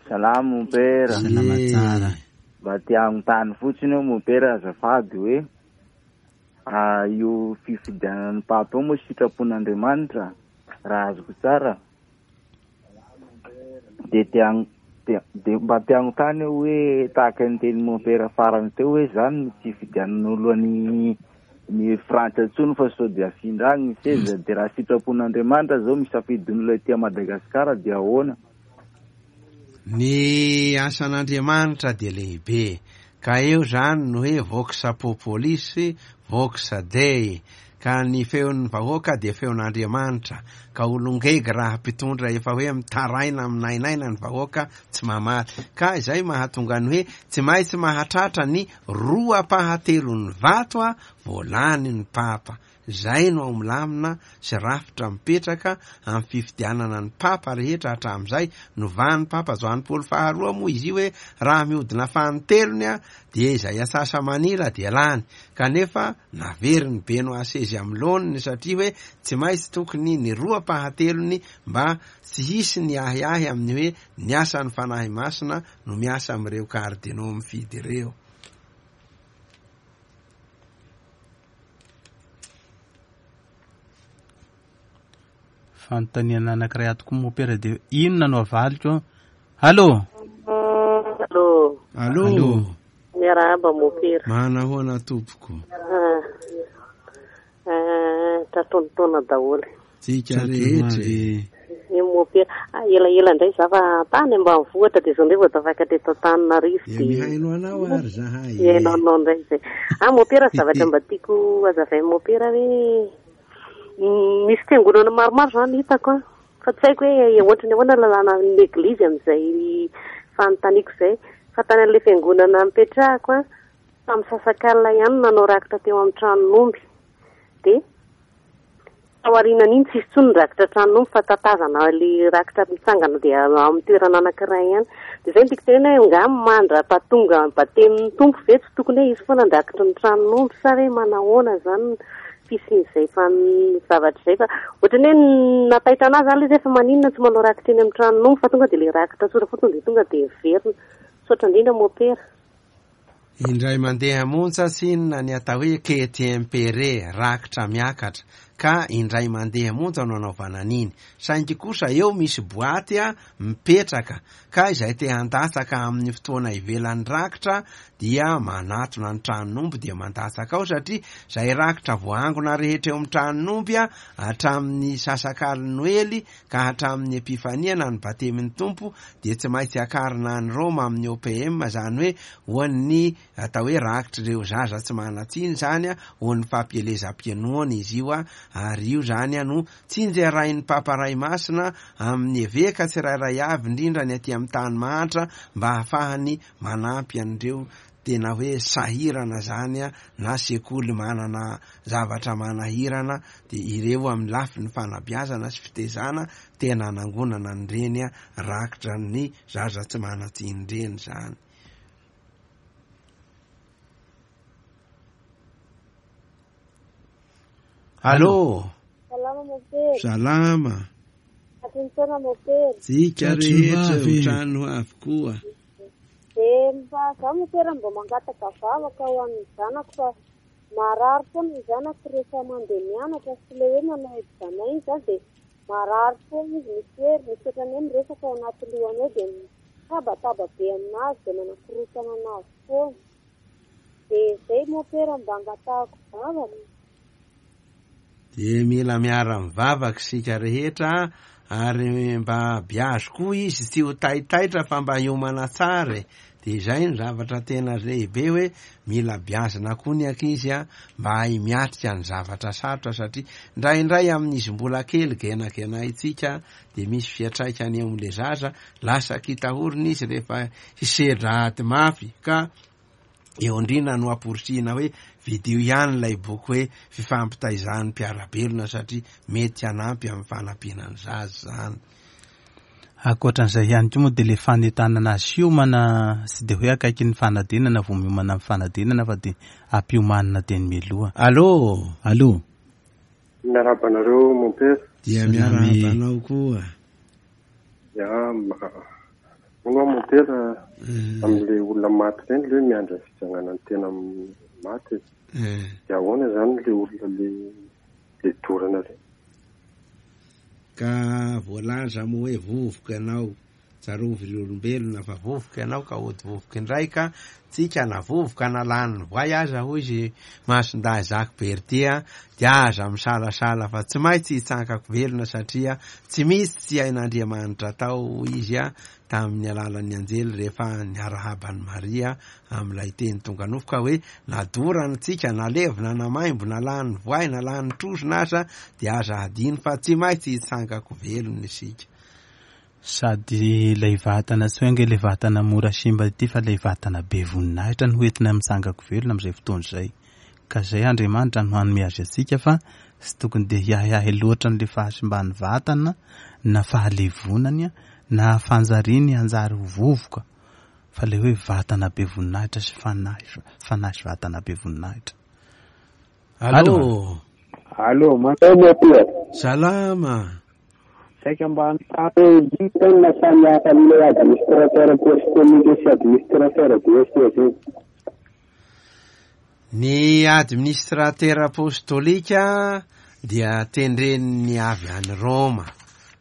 Salama mompera. Salama tsara. Mba te hanontany fotsiny eo mompera azafady hoe ah, io fifidianan'ny papa io moa sitrapon'Andriamanitra raha azoko tsara, de te hano-, de, de mba te hanontany eo hoe tahaka ny teny mompera farany teo hoe zany ny tsy fifidianan'olo any ny Frantsa intsony fa sao dia afindra agny ny seza, de raha sitrapon'Andriamanitra zao misafidin'olo aty Madagasikara dia ahoana? Ny asan'Andriamanitra dia lehibe, ka eo zany no hoe vox populis, vox dei, ka ny feon'ny vahoaka dia feon'Andriamanitra, ka olon-gegy raha mpitondra efa hoe mitaraina aminainaina ny vahoaka tsy mamaly, ka izay mahatonga ny hoe tsy maintsy mahatratra ny roa ampahatelon'ny vato a voalany ny papa. Zay no ao milamina sy rafitra mipetraka amin'ny fifidianana ny papa rehetra hatramin'izay. Novan'ny papa Joany Paoly faharoa moa izy io hoe raha mihodina fanintelony a dia izay atsasa manila dia lany, kanefa naveriny Benoît seize amin'ny laoniny satria hoe tsy maintsy tokony ny roa ampahatelony mba tsy hisy ny ahiahy amin'ny hoe ny asan'ny Fanahy Masina no miasa amin'ireo kardinao mifidy ireo. Fanontaniana anankiray ato koa mompera dia inona no avaliko? Allô? Allô? Allô? Miarahaba mompera. Manahoana tompoko? Ah, ah, tratrontaona daholo. Tsika rehetra. Ny mompera, ah, elaela indray za fa tany ambanivohitra dia zao indray vao tafakatra eto Antananarivo. Dia mihaino anao ary zahay. Mihaino anao indray izay. Ah, mompera, zavatra mba tiako hazavain'ny mompera hoe misy fiangonana maromaro zany hitako a, fa tsy haiko hoe ohatran'ny ahoana lalàna ny eglizy amin'izay fanontaniako izay, fa tany amin'ilay fiangonana nipetrahako a, tamin'ny sasakalina ihany nanao rakitra teo amin'ny tranon'omby, dia tao aorianan'iny tsisy intsony ny rakitra tranon'omby fa tatazana ilay rakitra mitsangana dia amin'ny toerana anankiray ihany. Dia izay no tiako tenenina hoe angaha mandra-pahatonga batemin'ny Tompo ve tsy tokony hoe hisy foana ny rakitry ny tranon'omby sa hoe manahoana zany fisian'izay fan-, zavatra izay, fa ohatran'ny hoe nataitra anazy zany ilay izy fa maninona tsy manao rakitra eny amin'ny tranon'omby fa tonga dia ilay rakitra tsotra fotsiny dia tonga dia miverina. Misaotra indrindra mompera. Indray mandeha monja tsinona ny atao hoe quai-tempéré, rakitra miakatra, ka indray mandeha monja no anaovana an'iny. Saingy kosa eo misy boaty a mipetraka, ka izay te handatsaka amin'ny fotoana ivelan'ny rakitra dia manatona ny tranon'omby dia mandatsaka ao, satria izay rakitra voaangona rehetra eo amin'ny tranon'omby a hatramin'ny sasakalin'ny Noely ka hatramin'ny Epifania na ny batemin'ny Tompo dia tsy maintsy akarina any Roma amin'ny O P M, izany hoe ho an'ny atao hoe rakitr'ireo zaza tsy manan-tsiny zany a, ho an'ny fampielezam-pianoana izy io a, ary io zany a no tsinjerain'ny Papa Ray Masina amin'ny eveka tsirairay avy, indrindra ny aty amin'ny tany mahantra, mba hahafahany manampy an'ireo tena hoe sahirana zany a, na sekoly manana zavatra manahirana, dia ireo amin'ny lafiny fanabeazana sy fitezana tena anangonana an'ireny a, rakitra ny zaza tsy manan-tsiny ireny zany. Allô? Salama mompera. Salama. Atolotra mompera. Tsika rehetra ho trano avokoa. Dia mba za mompera mba mangataka vavaka ho an'ny zanako fa marary foana ny zanako rehefa mandeha mianatra sy ilay hoe manao examen iny zany dia marary foana izy, misy hery, misy ohatran'ny hoe miresaka ao anaty lohany ao dia mitabataba be aminazy dia manakorotana anazy foana. Dia izay mompera mba angatahako vavaka. Dia mila miara-mivavaka isika rehetra ary mba biazo koa izy tsy ho taitaitra fa mba hiomana tsara. Dia izay ny zavatra tena lehibe hoe mila biazina koa ny ankizy a mba hahay miatrika ny zavatra sarotra satria indraindray amin'izy mbola kely genagenaintsika dia misy fiantraikany eo amin'ilay zaza, lasa kitahorina izy rehefa hisedra ady mafy ka eo indrindra no amporisihina hoe vidio ihany ilay boky hoe fifampitaizan'ny mpiara-belona satria mety hanampy amin'ny fanampiana ny zaza izany. Ankoatran'izay ihany koa moa dia ilay fanentanana azy hiomana sy dia hoe akaiky ny fanadinana vao miomana amin'ny fanadinana fa dia ampiomanina teny mialoha. Allô? Allô? Miarahaba anareo mompera. Dia miarahaba anao koa. Ya, moa mompera amin'ilay olona maty ireny ilay hoe miandry fitsanganana ny tena maty. Dia ahoana izany ilay olona ilay dorana ireny? Ka voalaza moa hoe vovoka ianao, tsarovy ry olombelona fa vovoka ianao ka hody vovoka indray ka tsika na vovoka na lany voay aza hoy izy Masindahy Jacques Berthier dia aza misalasala fa tsy maintsy hitsankako velona satria tsy misy tsy hain'Andriamanitra atao izy a tamin'ny alalan'ny anjely rehefa niarahaban'i Maria amin'ilay teny tonga nofo ka hoe nadorana tsika na levona na maimbo na lany voay na lany trozona aza dia aza hadino fa tsy maintsy hitsankako velona isika. Sady ilay vatana tsy hoe ange ilay vatana mora simba ity fa ilay vatana be voninahitra no hoentina mitsangako velona amin'izay fotoana izay. Ka izay Andriamanitra no hanome azy antsika fa tsy tokony dia hiahiahy loatra an'ilay fahasimban'ny vatana na fahalevonany na fanjariny hanjary ho vovoka fa ilay hoe vatana be voninahitra sy fanahy fanahy sy vatana be voninahitra. Allô? Allô, manao mompera. Salama. Saika mba hanontany hoe inona no mahasamihafa amin'ilay administrateur apostolique sy administrateur diocésain? Ny administrateur apostolika dia tendren'ny avy any Roma,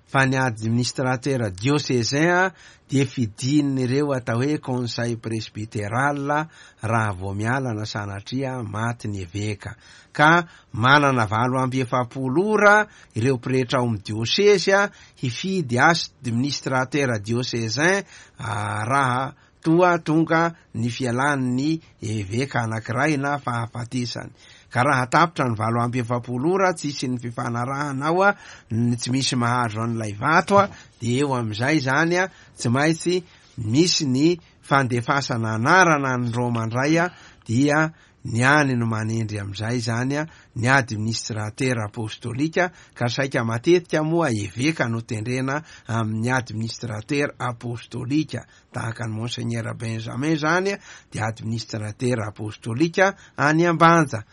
fa ny administrateur diocésain dia fidin'ireo atao hoe conseil presbytéral raha vao miala na sanatria maty ny eveka. Ka manana valo amby efapolo ora ireo pretra ao amin'ny diocèse hifidy administrateur diocésain raha toa tonga ny fialan'ny eveka anankiray na fahafatesany. Ka raha tapitra ny valo amby efapolo ora tsisy ny fifanarahana ao a, tsy misy mahazo an'ilay vato a, dia eo amin'izay zany a tsy maintsy misy ny fandefasana anarana ny Roma indray a, dia ny any no manendry amin'izay zany a ny administrateur apostolika ka saika matetika moa eveka no tendrena amin'ny administrateur apostolika tahaka ny Monseigneur Benjamin zany a dia administrateur apostolika any Ambanja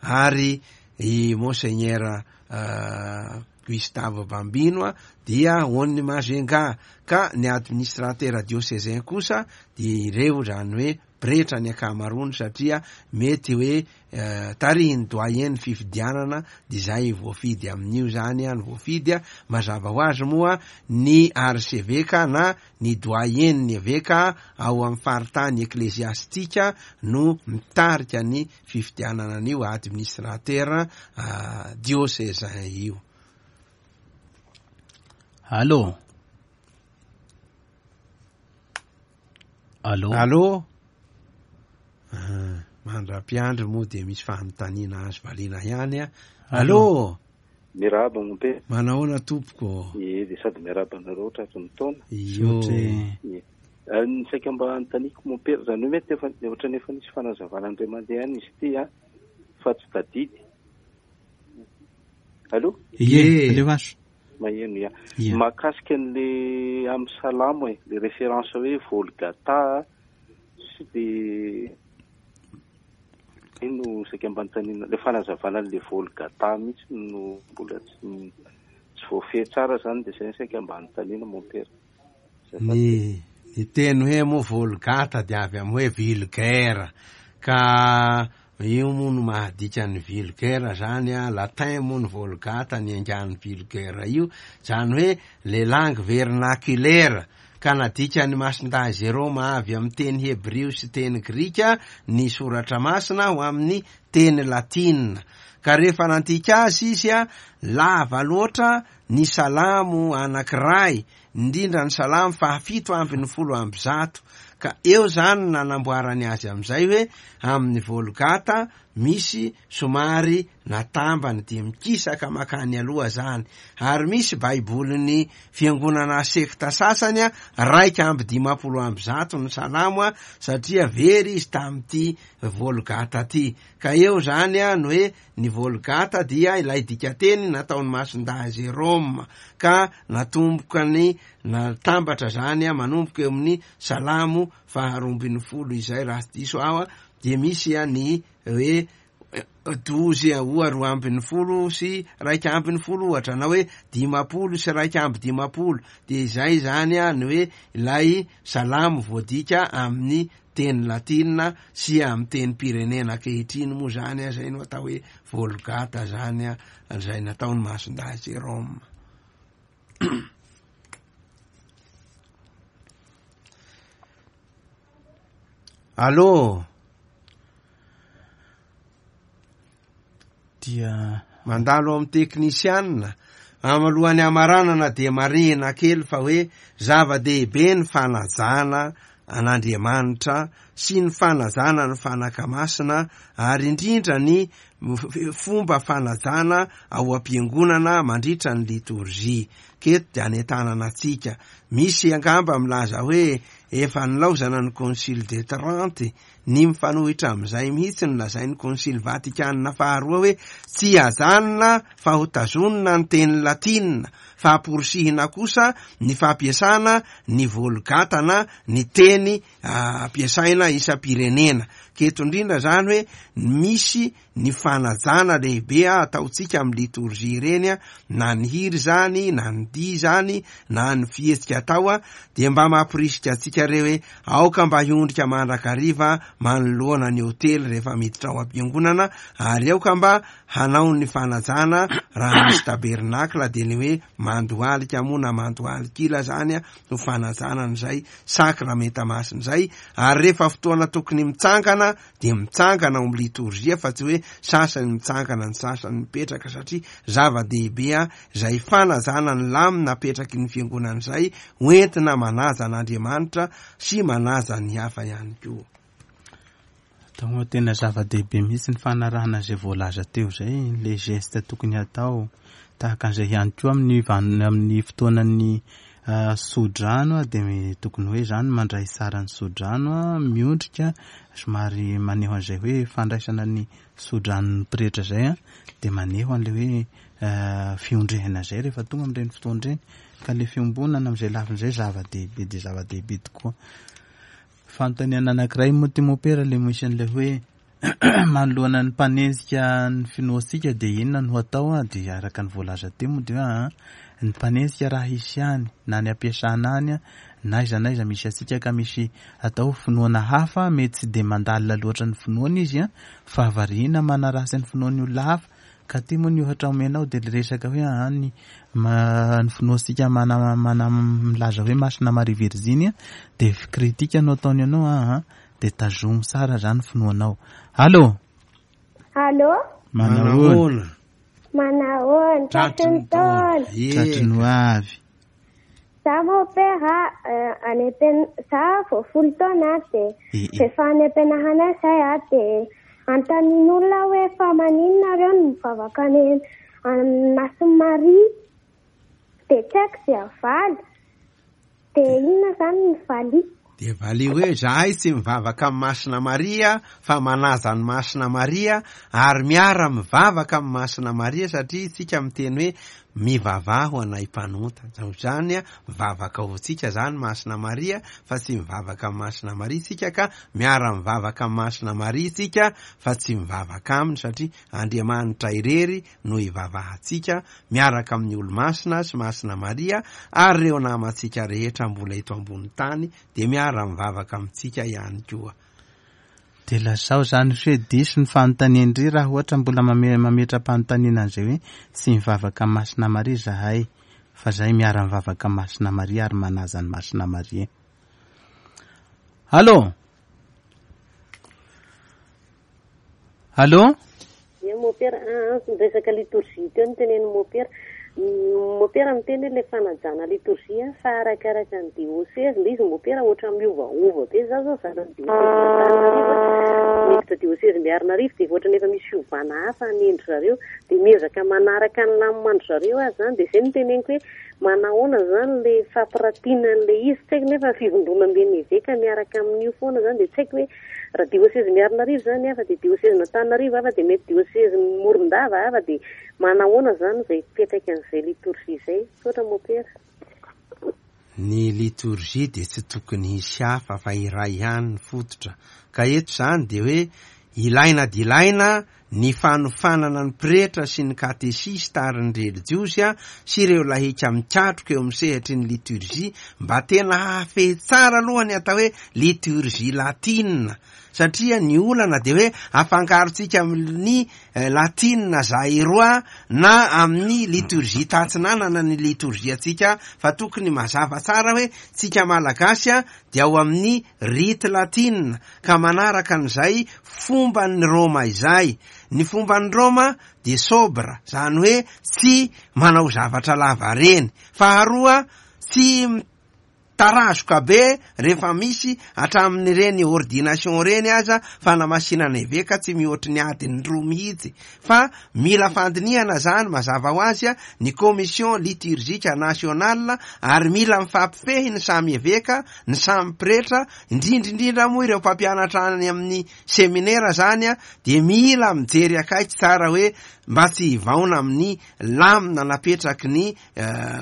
ary i Monseigneur uh, Gustave Bambino a dia ony Mazenga ka ny administrateur diocésain kosa dia ireo zany hoe pretra ny ankamaroany satria mety hoe uh, tarihin'ny doyen ny fifidianana dia izay voafidy amin'io zany a ny voafidy a mazava ho azy moa ny archevêque na ny doyen ny eveka ao amin'ny faritany eklesiastika no mitarika ny fifidianana an'io administrateur uh, diocésain io. Allô? Allô? Allô? Mandra-piandry moa dia misy fanontaniana azo valiana ihany a. Allô? Miarahaba mompera. Manahoana tompoko? Ie, dia sady miarahaba anareo tratry ny taona. Io. Ie. Ny saika mba anontaniako mompera zany hoe mety efa ohatran'ny efa nisy fanazavana indray mandeha ihany izy ity a fa tsy tadidy. Allô? Ie, aleo azo. Maheno ya. Mahakasika an'le amin'ny salamo e, le référence hoe Volgata sy de ino saika mba anontaniana le fanazavana an'le Volgata mihitsy no mbola tsy tsy voafehy tsara zany dia zay saika mba anontaniana mompera. Ny ny teny hoe moa Volgata dia avy amin'ny hoe vulgaire ka io moa no mahadika ny vulgaire zany a, latin moa ny Volgata ny angan'ny vulgaire io, zany hoe le langue vernaculaire Ka nadikan'i Masindahy Jerôma avy amin'ny teny hebrio sy teny grika ny soratra masina ho amin'ny teny latina. Ka rehefa nandika azy izy a, lava loatra ny salamo anankiray, indrindra ny salamo fahafito ambin'ny folo amby zato. Ka eo zany nanamboarany azy amin'izay hoe amin'ny Volgata misy somary natambany dia mikisaka makany aloha zany. Ary misy baibolin'ny fiangonana sekta sasany a, raika amby dimampolo amby zato ny salamo a, satria very izy tamin'ity Volgata ty. Ka eo zany a no hoe ny Volgata dia ilay dikateny nataon'i Masindahy Jerôma, ka natomboka ny natambatra zany a, manomboka eo amin'ny salamo faharoa ambin'ny folo izay raha tsy diso aho a, dia misy a ny hoe dozy oa roa ambin'ny folo sy raika ambin'ny folo ohatra, na hoe dimampolo sy raika amby dimampolo, dia izay zany a ny hoe ilay salamo voadika amin'ny teny latina sy amin'ny tenim-pirenena ankehitriny moa zany a, zay no atao hoe Volgata zany a, izay nataon'i Masindahy Jerôma. Allô? Dia mandalo amin'ny teknisianina. Alohan'ny hamaranana dia marihina kely fa hoe zava-dehibe ny fanajana an'Andriamanitra sy ny fanajana ny fanaka masina, ary indrindra ny fomba fanajana ao am-piangonana mandritra ny litorjia. Keto dia anentanana antsika. Misy angamba milaza hoe efa nilaozana ny Concile de Trente, ny mifanohitra amin'izay mihitsy no lazain'ny Concile Vatikana faharoa hoe tsy ajanona fa ho tazonina ny teny latina, fa amporisihina kosa ny fampiasana ny Volgata na ny teny ampiasaina isam-pirenena. Keto indrindra zany hoe misy ny fanajana lehibe ataontsika amin'ny litorjia ireny, na ny hira zany, na ny dihy zany, na ny fihetsika atao, dia mba mamporisika antsika re hoe aoka mba hiondrika mandrakariva manoloana ny hotely rehefa miditra ao am-piangonana, ary aoka mba hanao ny fanajana raha misy tabernakla, dia ny hoe mandohalika moa na mandohalikila zany no fanajana an'izay sakramenta masina izay. Ary rehefa fotoana tokony mitsangana dia mitsangana ao amin'ny litorjia, fa tsy hoe sasany mitsangana ny sasany mipetraka, satria zava-dehibe a izay fanajana ny lamina apetraky ny fiangonana izay hoentina manaja an'Andriamanitra sy manaja ny hafa ihany koa. Atao tena zava-dehibe mihitsy ny fanarahana izay voalaza teo izay, le geste tokony hatao. Tahaka an'izay ihany koa amin'ny van-, amin'ny fotoanan'ny sodrano, dia tokony hoe zany mandray tsara ny sodrano, miondrika, somary maneho an'izay hoe fandraisana ny sodranon'ny pretra izay, dia maneho an'ilay hoe fiondrehana izay rehefa tonga amin'ireny fotoana ireny. Ka le fiombonana amin'izay lafiny izay zava-dehibe dia zava-dehibe tokoa. Fanontaniana anankiray moa ty mopera, le misy an'ilay hoe manoloana ny mpanenjika ny finoantsika dia inona no atao a? Dia araka ny voalaza teo moa dia hoe, ny mpanenjika raha hisy ihany, na ny ampiasana any, na aiza na aiza misy antsika ka misy atao finoana hafa, mety tsy dia mandalina loatra ny finoana izy a, fa variana manaratsy ny finoan'ny olona hafa. Ka ty moa ny ohatra omenao dia le resaka hoe, ah, ny ma-, ny finoantsika mana-, mana-, milaza hoe Masina Maria Virjiny, dia kritika no ataony anao, ah, ah, dia tazomy tsara zany finoanao. Allô? Allô? Manahoana? Manahoana? Tratry ny taona. Tratry ny ho avy. Za mopera, any am-pian-, za vao folo taona dia rehefa any am-pianarana izay a, dia anontanian'olona hoe fa maninona nareo no mivavaka any amin'ny Masina Maria? Dia tsy haiko izay havaly. Dia inona izany ny valiko? Dia valio hoe zahay tsy mivavaka amin'ny Masina Maria fa manaja ny Masina Maria, ary miara mivavaka amin'ny Masina Maria, satria isika miteny hoe mivavaha ho anay mpanota. Izany a, mivavaka ho antsika zany Masina Maria, fa tsy mivavaka amin'ny Masina Maria isika, ka miara mivavaka amin'ny Masina Maria isika fa tsy mivavaka aminy, satria Andriamanitra irery no ivavahantsika miaraka amin'ny olo-masina sy Masina Maria ary ireo namantsika rehetra mbola eto ambony tany dia miara mivavaka amintsika ihany koa. Dia lazao zany hoe diso ny fanontanian-dry raha ohatra mbola mame-, mametra-panontaniana an'izay hoe tsy mivavaka amin'ny Masina Maria zahay. Fa zay miara-mivavaka amin'i Masina Maria ary manaja an'i Masina Maria. Allô? Allô? Ie, Mopera, ah, ah, resaka litorjia teo no tenenin'i Mopera. Mopera miteny hoe ilay fanajana litorjia fa arakaraka ny diocèse ilay izy Mopera ohatra miovaova be. Za zao zanan'ny diocèse Antananarivo, miditra diocèse Miarinarivo dia ohatran'ny efa misy fiovana hafa anendry zareo, dia miezaka manaraka ny lamindry zareo aho zany. Dia izay no teneniko hoe manahoana zany ilay fampiratiana an'ilay izy, tsy haiko nefa fivondronamben'ny eveka miaraka amin'io foana zany, dia tsy haiko hoe raha diocèse Miarinarivo zany hafa, dia diocèse Antananarivo hafa, dia mety diocèse Morondava hafa, dia manahoana zany izay fiantraikan'izay litorjia izay. Misaotra Mopera. Ny litorjia dia tsy tokony hisy hafa fa iray ihany ny fototra. Ka eto zany dia hoe ilaina dia ilaina ny fanofanana ny pretra sy ny katesista ary ny relijiosy sy ireo lahika mikatroka eo amin'ny sehatry ny liturgie mba tena hahafehy tsara aloha ny atao hoe liturgie latina, satria ny olana dia hoe afangarontsika amin'ny latina zairoa na amin'ny liturgie tatsinanana ny liturgie antsika, fa tokony mazava tsara hoe tsika malagasy dia ao amin'ny rite latina ka manaraka an'izay fomban'ny Roma izay. Ny fomban'ny Roma dia sobre, zany hoe tsy manao zavatra lava reny. Faharoa, tsy tarazoka be rehefa misy hatramin'ireny ordination reny aza fanamasinana eveka tsy mihoatry ny adiny roa mihitsy, fa mila fandinihana zany mazava ho azy ny commission liturgique nationale, ary mila mifampifehy ny samy eveka, ny samy pretra, indrindra indrindra moa ireo mpampianatra any amin'ny seminera zany dia mila mijery akaiky tsara hoe mba tsy hivaona amin'ny lamina napetraky ny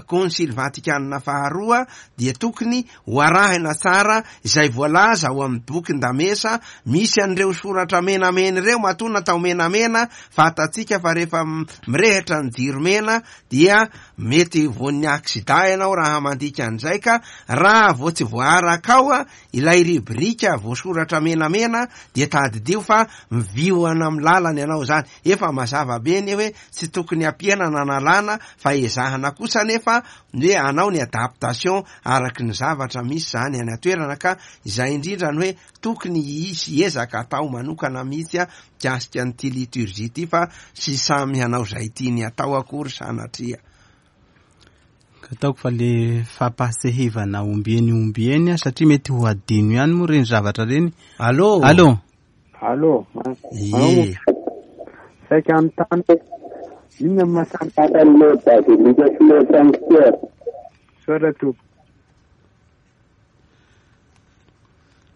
Konsily Vatikanina faharoa, dia tokony ho arahina tsara izay voalaza ao amin'ny bokin-damesa misy an'ireo soratra menamena ireo. Matoa natao menamena, fantatsika fa rehefa mirehitra ny jiro mena dia mety voan'ny aksida ianao raha mandika an'izay, ka raha vao tsy voaaraka ao ilay rubrika voasoratra menamena dia tadidio fa mivioana amin'ny lalana ianao zany. Efa mazava be ny hoe tsy tokony ampiana na nalana, fa ezahana kosa nefa hoe anao ny adaptation araky ny zavatra misy zany any an-toerana, ka izay indrindra ny hoe tokony hisy ezaka atao manokana mihitsy a mikasika an'ity liturgie ity, fa tsy samy hanao izay tiany atao akory sanatria. Ataoko fa le fampasehivana ombieny ombieny satria mety ho adino ihany moa reny zavatra reny. Allô? Allô? Allô? Ie. Saika anontany inona no mahasamihafa ny bazilika sy le sanctuaire? Misaotra tompoko.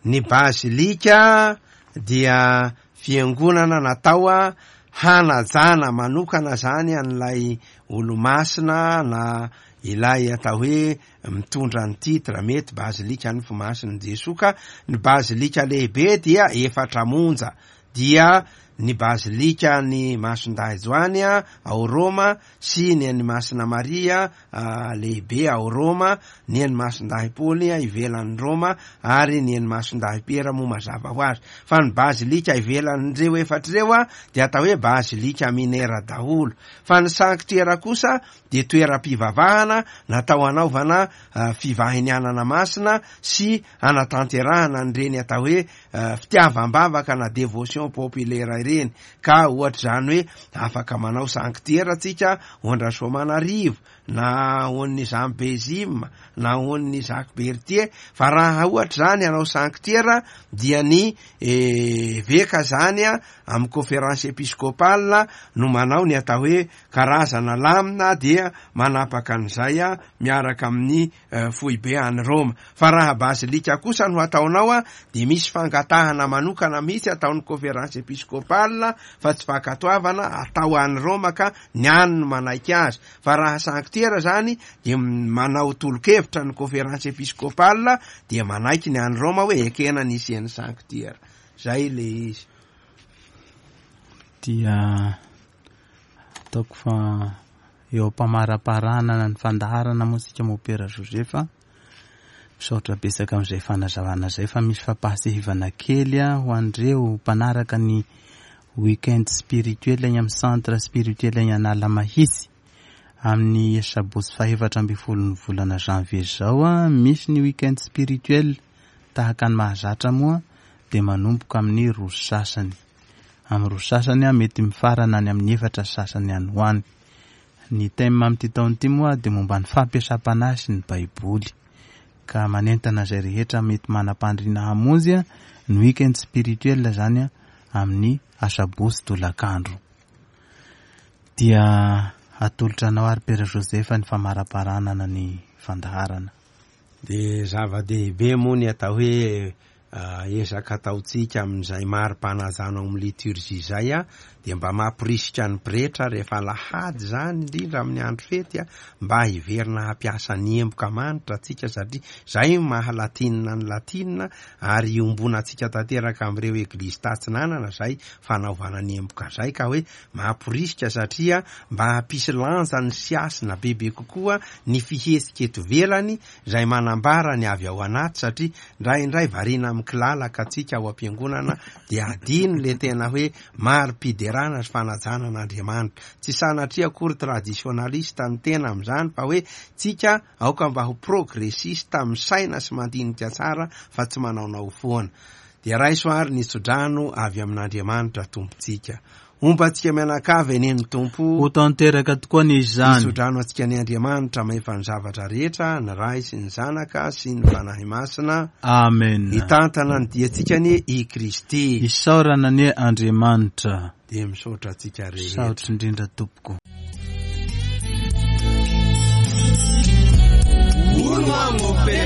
Ny bazilika dia fiangonana natao hanajana manokana zany an'ilay olomasina na ilay atao hoe mitondra ny titre, mety bazilika ny fomasin'i Jesoa. Ka ny bazilika lehibe dia efatra monja, dia ny bazilika ny Masindahy Joany ao Roma sy ny an'ny Masina Maria lehibe ao Roma, ny an'ny Masindahy Paoly ivelan'ny Roma ary ny an'ny Masindahy Piera moa mazava ho azy. Fa ny bazilika ivelan'ireo efatra ireo dia atao hoe bazilika minera daholo. Fa ny sanctuaire kosa dia toeram-pivavahana natao hanaovana fivahinianana masina sy hanatanterahana an'ireny atao hoe fitiavam-bavaka na dévotion populaire ireny. Ka ohatra izany hoe afaka manao sanctuaire tsika ho an-dRasoamanarivo na ho an'ny Zambezima na ho an'ny Jacques Berthier, fa raha ohatra izany hanao sanctuaire dia ny eveka zany amin'ny conférence épiscopale no manao ny atao hoe karazana lamina, dia manapaka an'izay miaraka amin'ny foibe any Roma. Fa raha bazilika kosa no ataonao dia misy fangatahana manokana mihitsy ataon'ny conférence épiscopale, fa tsy fankatoavana atao any Roma ka ny any no manaiky azy. Fa raha sanctuaire zany dia manao tolo-kevitra ny conférence épiscopale dia manaiky ny any Roma hoe ekena ny hisian'ny sanctuaire. Zay le izy. Dia ataoko fa eo am-pamaraparana ny fandaharana moa isika Mopera Joseph. Misaotra betsaka amin'izay fanazavana izay, fa misy fampahasehivana kely ho an'ireo mpanaraka ny weekend spirituel any amin'ny centre spirituel any Analamahitsy. Amin'ny sabotsy fahefatra ambin'ny folon'ny volana janvier izao a, misy ny week-end spirituel tahaka ny mahazatra moa dia manomboka amin'ny roa sasany. Amin'ny roa sasany a, mety mifarana any amin'ny efatra sasany any ho any. Ny thème amin'ity taona ity moa dia momba ny fampiasam-panahy sy ny Baiboly. Ka manentana izay rehetra mety manam-pandriana hamonjy a, ny week-end spirituel zany a, amin'ny asabotsy tolakandro. Dia atolotra anao ary Père Joseph ny famaraparanana ny fandaharana. Dia zava-dehibe moa ny atao hoe ezaka ataontsika amin'izay mari-panajana ao amin'ny liturgie izay a, dia mba mampirisika ny pretra rehefa alahady zany indrindra amin'ny andro fety a, mba hiverina hampiasa ny emboka manitra atsika, satria zay maha latinina ny latinina ary iombonantsika tanteraka amin'ireo eglizy tatsinanana zay fanaovana ny emboka zay, ka hoe mampirisika satria mba hampisy lanja ny siasina bebe kokoa ny fihetsika eto ivelany zay manambara ny avy ao anaty, satria indraindray variana amin'ny kilalaka atsika ao am-piangonana dia adino le tena hoe mari-piderana sy fanajana an'Andriamanitra. Tsy sanatria akory traditionnaliste ny tena amin'izany, fa hoe tsika aoka mba ho progressiste misaina sy mandinika tsara fa tsy manaonao foana. Dia raiso ary ny tsodrano avy amin'Andriamanitra Tompontsika. Homba antsika mianakavy anie ny Tompo. Ho tanteraka tokoa ny izany. Mitsodrano antsika ny Andriamanitra mahefa ny zavatra rehetra, ny Ray sy ny Zanaka sy ny Fanahy Masina. Amen. Hitantana ny diantsika anie i Kristy. Isaorana anie Andriamanitra. Dia misaotra antsika rehetra. Saotra indrindra tompoko. Hono aho mopera.